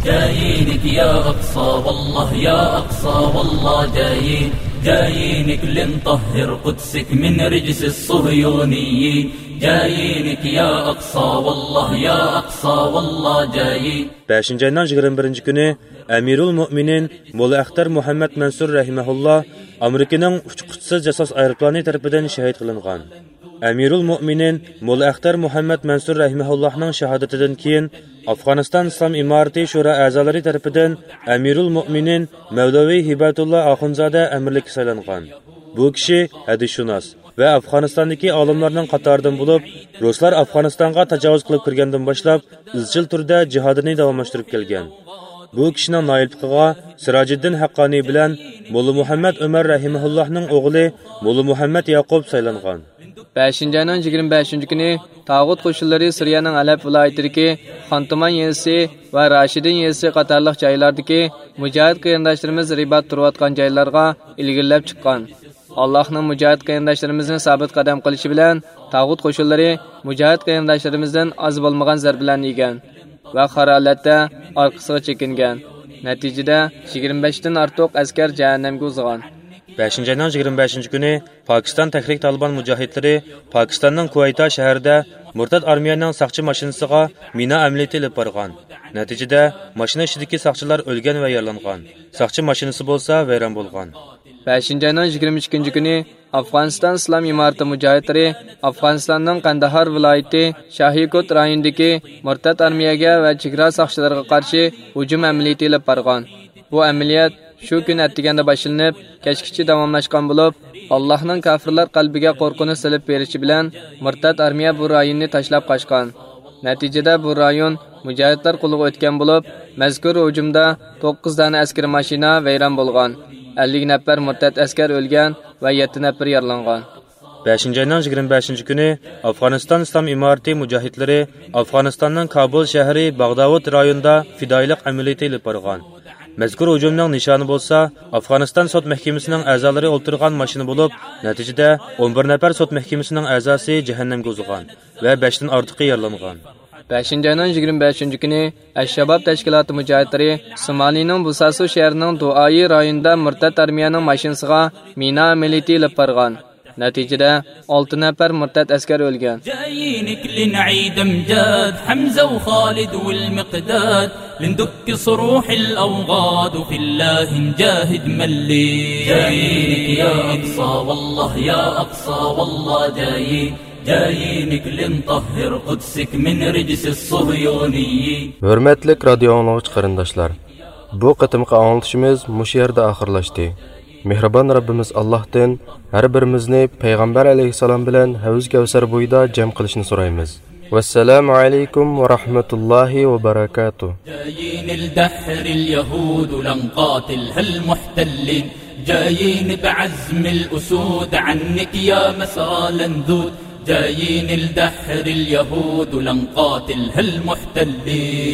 جايىنك يا أقصى والله، يا أقصى والله جايين، جايينك لنطهر قدسك من رجس الصهيونيين. جايينك يا أقصى والله، يا أقصى والله جايين. بەشىنچى ئاينىڭ يىگىرمە بىرىنچى كۈنى ئەمىرۇل مۆمىنىن موللا ئەختەر مۇھەممەد مەنسۇر رەھىمەھۇللا ئامېرىكىنىڭ ئۇچقۇچىسىز جاسۇس ئايروپىلانى تەرىپىدىن شېھىت قىلىنغان. ئەمىرۇل مۆمىنىن موللا ئەختەر مۇھەممەد مەنسۇر رەھىمەھۇللاھنىڭ شاھادىتىدىن كېيىن، ئافغانىستان ئىسلام ئىمارىتى شورا ئەزالىرى تەرىپىدىن ئەمىرۇل مۆمىنىن مەۋلەۋى ھىبەتۇللا ئاخۇنزادە ئەمىرلىككە سايلانغان. بۇ كىشى ھەدىسشۇناس ۋە ئافغانىستاندىكى ئالىملارنىڭ قاتارىدىن بولۇپ، رۇسلار ئافغانىستانغا تاجاۋۇز قىلىپ كىرگەندىن باشلاپ، ئىزچىل تۈردە جىھادىنى داۋاملاشتۇرۇپ كەلگەن. بۇ كىشىنىڭ نائىبلىقىغا سىراجىددىن ھەققانىي بىلەن موللا مۇھەممەد ئۆمەر رەھىمەھۇللاھنىڭ ئوغلى موللا مۇھەممەد ياقۇپ سايلانغان. بەشىنچى ئاينىڭ يىگىرمە بەشىنچى كۈنى تاغۇت قوشۇنلىرى سۈرىيەنىڭ ھەلەب ۋىلايىتىدىكى خانتۇمان يېزىسى ۋە راشىدىن يېزىسى قاتارلىق جايلاردىكى مۇجاھىد قېرىنداشلىرىمىز رىبات تۇرۇۋاتقان جايلارغا ئىلگىرىلەپ چىققان. ئاللاھنىڭ مۇجاھىد قېرىنداشلىرىمىزنى سابىت قەدەم قىلىشى بىلەن، تاغۇت قوشۇنلىرى مۇجاھىد قېرىنداشلىرىمىزدىن ئاز بولمىغان زەربىلەرنى يېگەن ۋە خار ھالەتتە ئارقىسىغا چېكىنگەن. نەتىجىدە، يىگىرمە بەشتىن ئارتۇق ئەسكەر جەھەننەمگە ئۇزىغان. بەشىنچى ئاينىڭ يىگىرمە بەشىنچى كۈنى پاكىستان تەھرىك تالىبان مۇجاھىدلىرى پاكىستاننىڭ كۇۋەيتا شەھىرىدە مۇرتەت ئارمىيەنىڭ ساقچى ماشىنىسىغا مىنا ئەمەلىيىتى ئېلىپ بارغان. نەتىجىدە، ماشىنا ئىچىدىكى ساقچىلار ئۆلگەن ۋە يارىلانغان. ساقچى ماشىنىسى بولسا ۋەيران بولغان. بەشىنچى ئاينىڭ يىگىرمە ئىككىنچى كۈنى ئافغانىستان ئىسلام ئىمارىتى مۇجاھىدلىرى ئافغانىستاننىڭ قەنداھار ۋىلايىتى شاھىكوت رايونىدىكى مۇرتەت ئارمىيەگە ۋە چېگرا ساقچىلىرىغا قارشى ھۇجۇم ئەمەلىيىتى ئېلىپ بارغان. بۇ ئەمەلىيەت شۇ كۈنى ئەتىگەندە باشلىنىپ، كەچكىچە داۋاملاشقان بولۇپ، ئاللاھنىڭ كافىرلار قەلبىگە قورقۇنچ سېلىپ بېرىشى بىلەن، مۇرتەت ئارمىيە بۇ رايوننى تاشلاپ قاچقان. نەتىجىدە بۇ رايون مۇجاھىدلار قولىغا ئۆتكەن بولۇپ، مەزكۇر ھۇجۇمدا توققۇز دانە ئەسكىرىي ماشىنا ۋەيران بولغان، ئەللىك نەپەر مۇرتەت ئەسكەر ئۆلگەن ۋە يەتتە نەپىرى يارىلانغان. بەشىنچى ئاينىڭ يىگىرمە بەشىنچى كۈنى ئافغانىستان ئىسلام ئىمارىتى مۇجاھىدلىرى ئافغانىستاننىڭ كابۇل شەھىرى باغداۋۇت رايونىدا پىدائىيلىق ئەمەلىيىتى ئېلىپ بارغان. مەزكۇر ھۇجۇمنىڭ نىشانى بولسا ئافغانىستان سوت مەھكىمىسىنىڭ ئەزالىرى ئولتۇرغان ماشىنا بولۇپ، نەتىجىدە ئون بىر نەپەر سوت مەھكىمىسىنىڭ ئەزاسى جەھەننەمگە ئۇزىغان ۋە بەشتىن ئارتۇقى يارىلانغان. بەشىنچى ئاينىڭ يىگىرمە بەشىنچى كۈنى ئەش-شاباب تەشكىلاتى مۇجاھىدلىرى سومالىنىڭ بۇساسۇ شەھىرىنىڭ دۇئايى رايونىدا مۇرتەت ئارمىيەنىڭ ماشىنىسىغا مىنا ئەمەلىيىتى ئېلىپ بارغان. نەتىجىدە، ئالتە نەپەر مۇرتەت ئەسكەر ئۆلگەن. جايينك لنعيد أمجاد حمزة وخالد والمقداد، لندك صروح الأوغاد وفي الله نجاهد ملي. جايينك يا أقصى والله، يا أقصى والله جايين. جايينك لنطهر قدسك من رجس الصهيونيين. ھۆرمەتلىك رادىيو ئاڭلىغۇچى قېرىنداشلار، بۇ قېتىمقى ئاڭلىتىشىمىز مۇشۇ يەردە ئاخىرلاشتى. مېھرىبان رەببىمىز ئاللاھتىن ھەر بىرىمىزنى پەيغەمبەر ئەلەيھىسسالام بىلەن ھەۋز كەۋسەر بويىدا جەم قىلىشنى سورايمىز. ۋەسسالامۇ ئەلەيكۇم ۋە رەھمەتۇللاھى ۋە بەرەكاتۇھ. جايين الدحر اليهود لنقاتلها المحتلين. جايين بعزم الأسود عنك يا مسرى لنذود. جايين الدحر اليهود لنقاتلها المحتلين.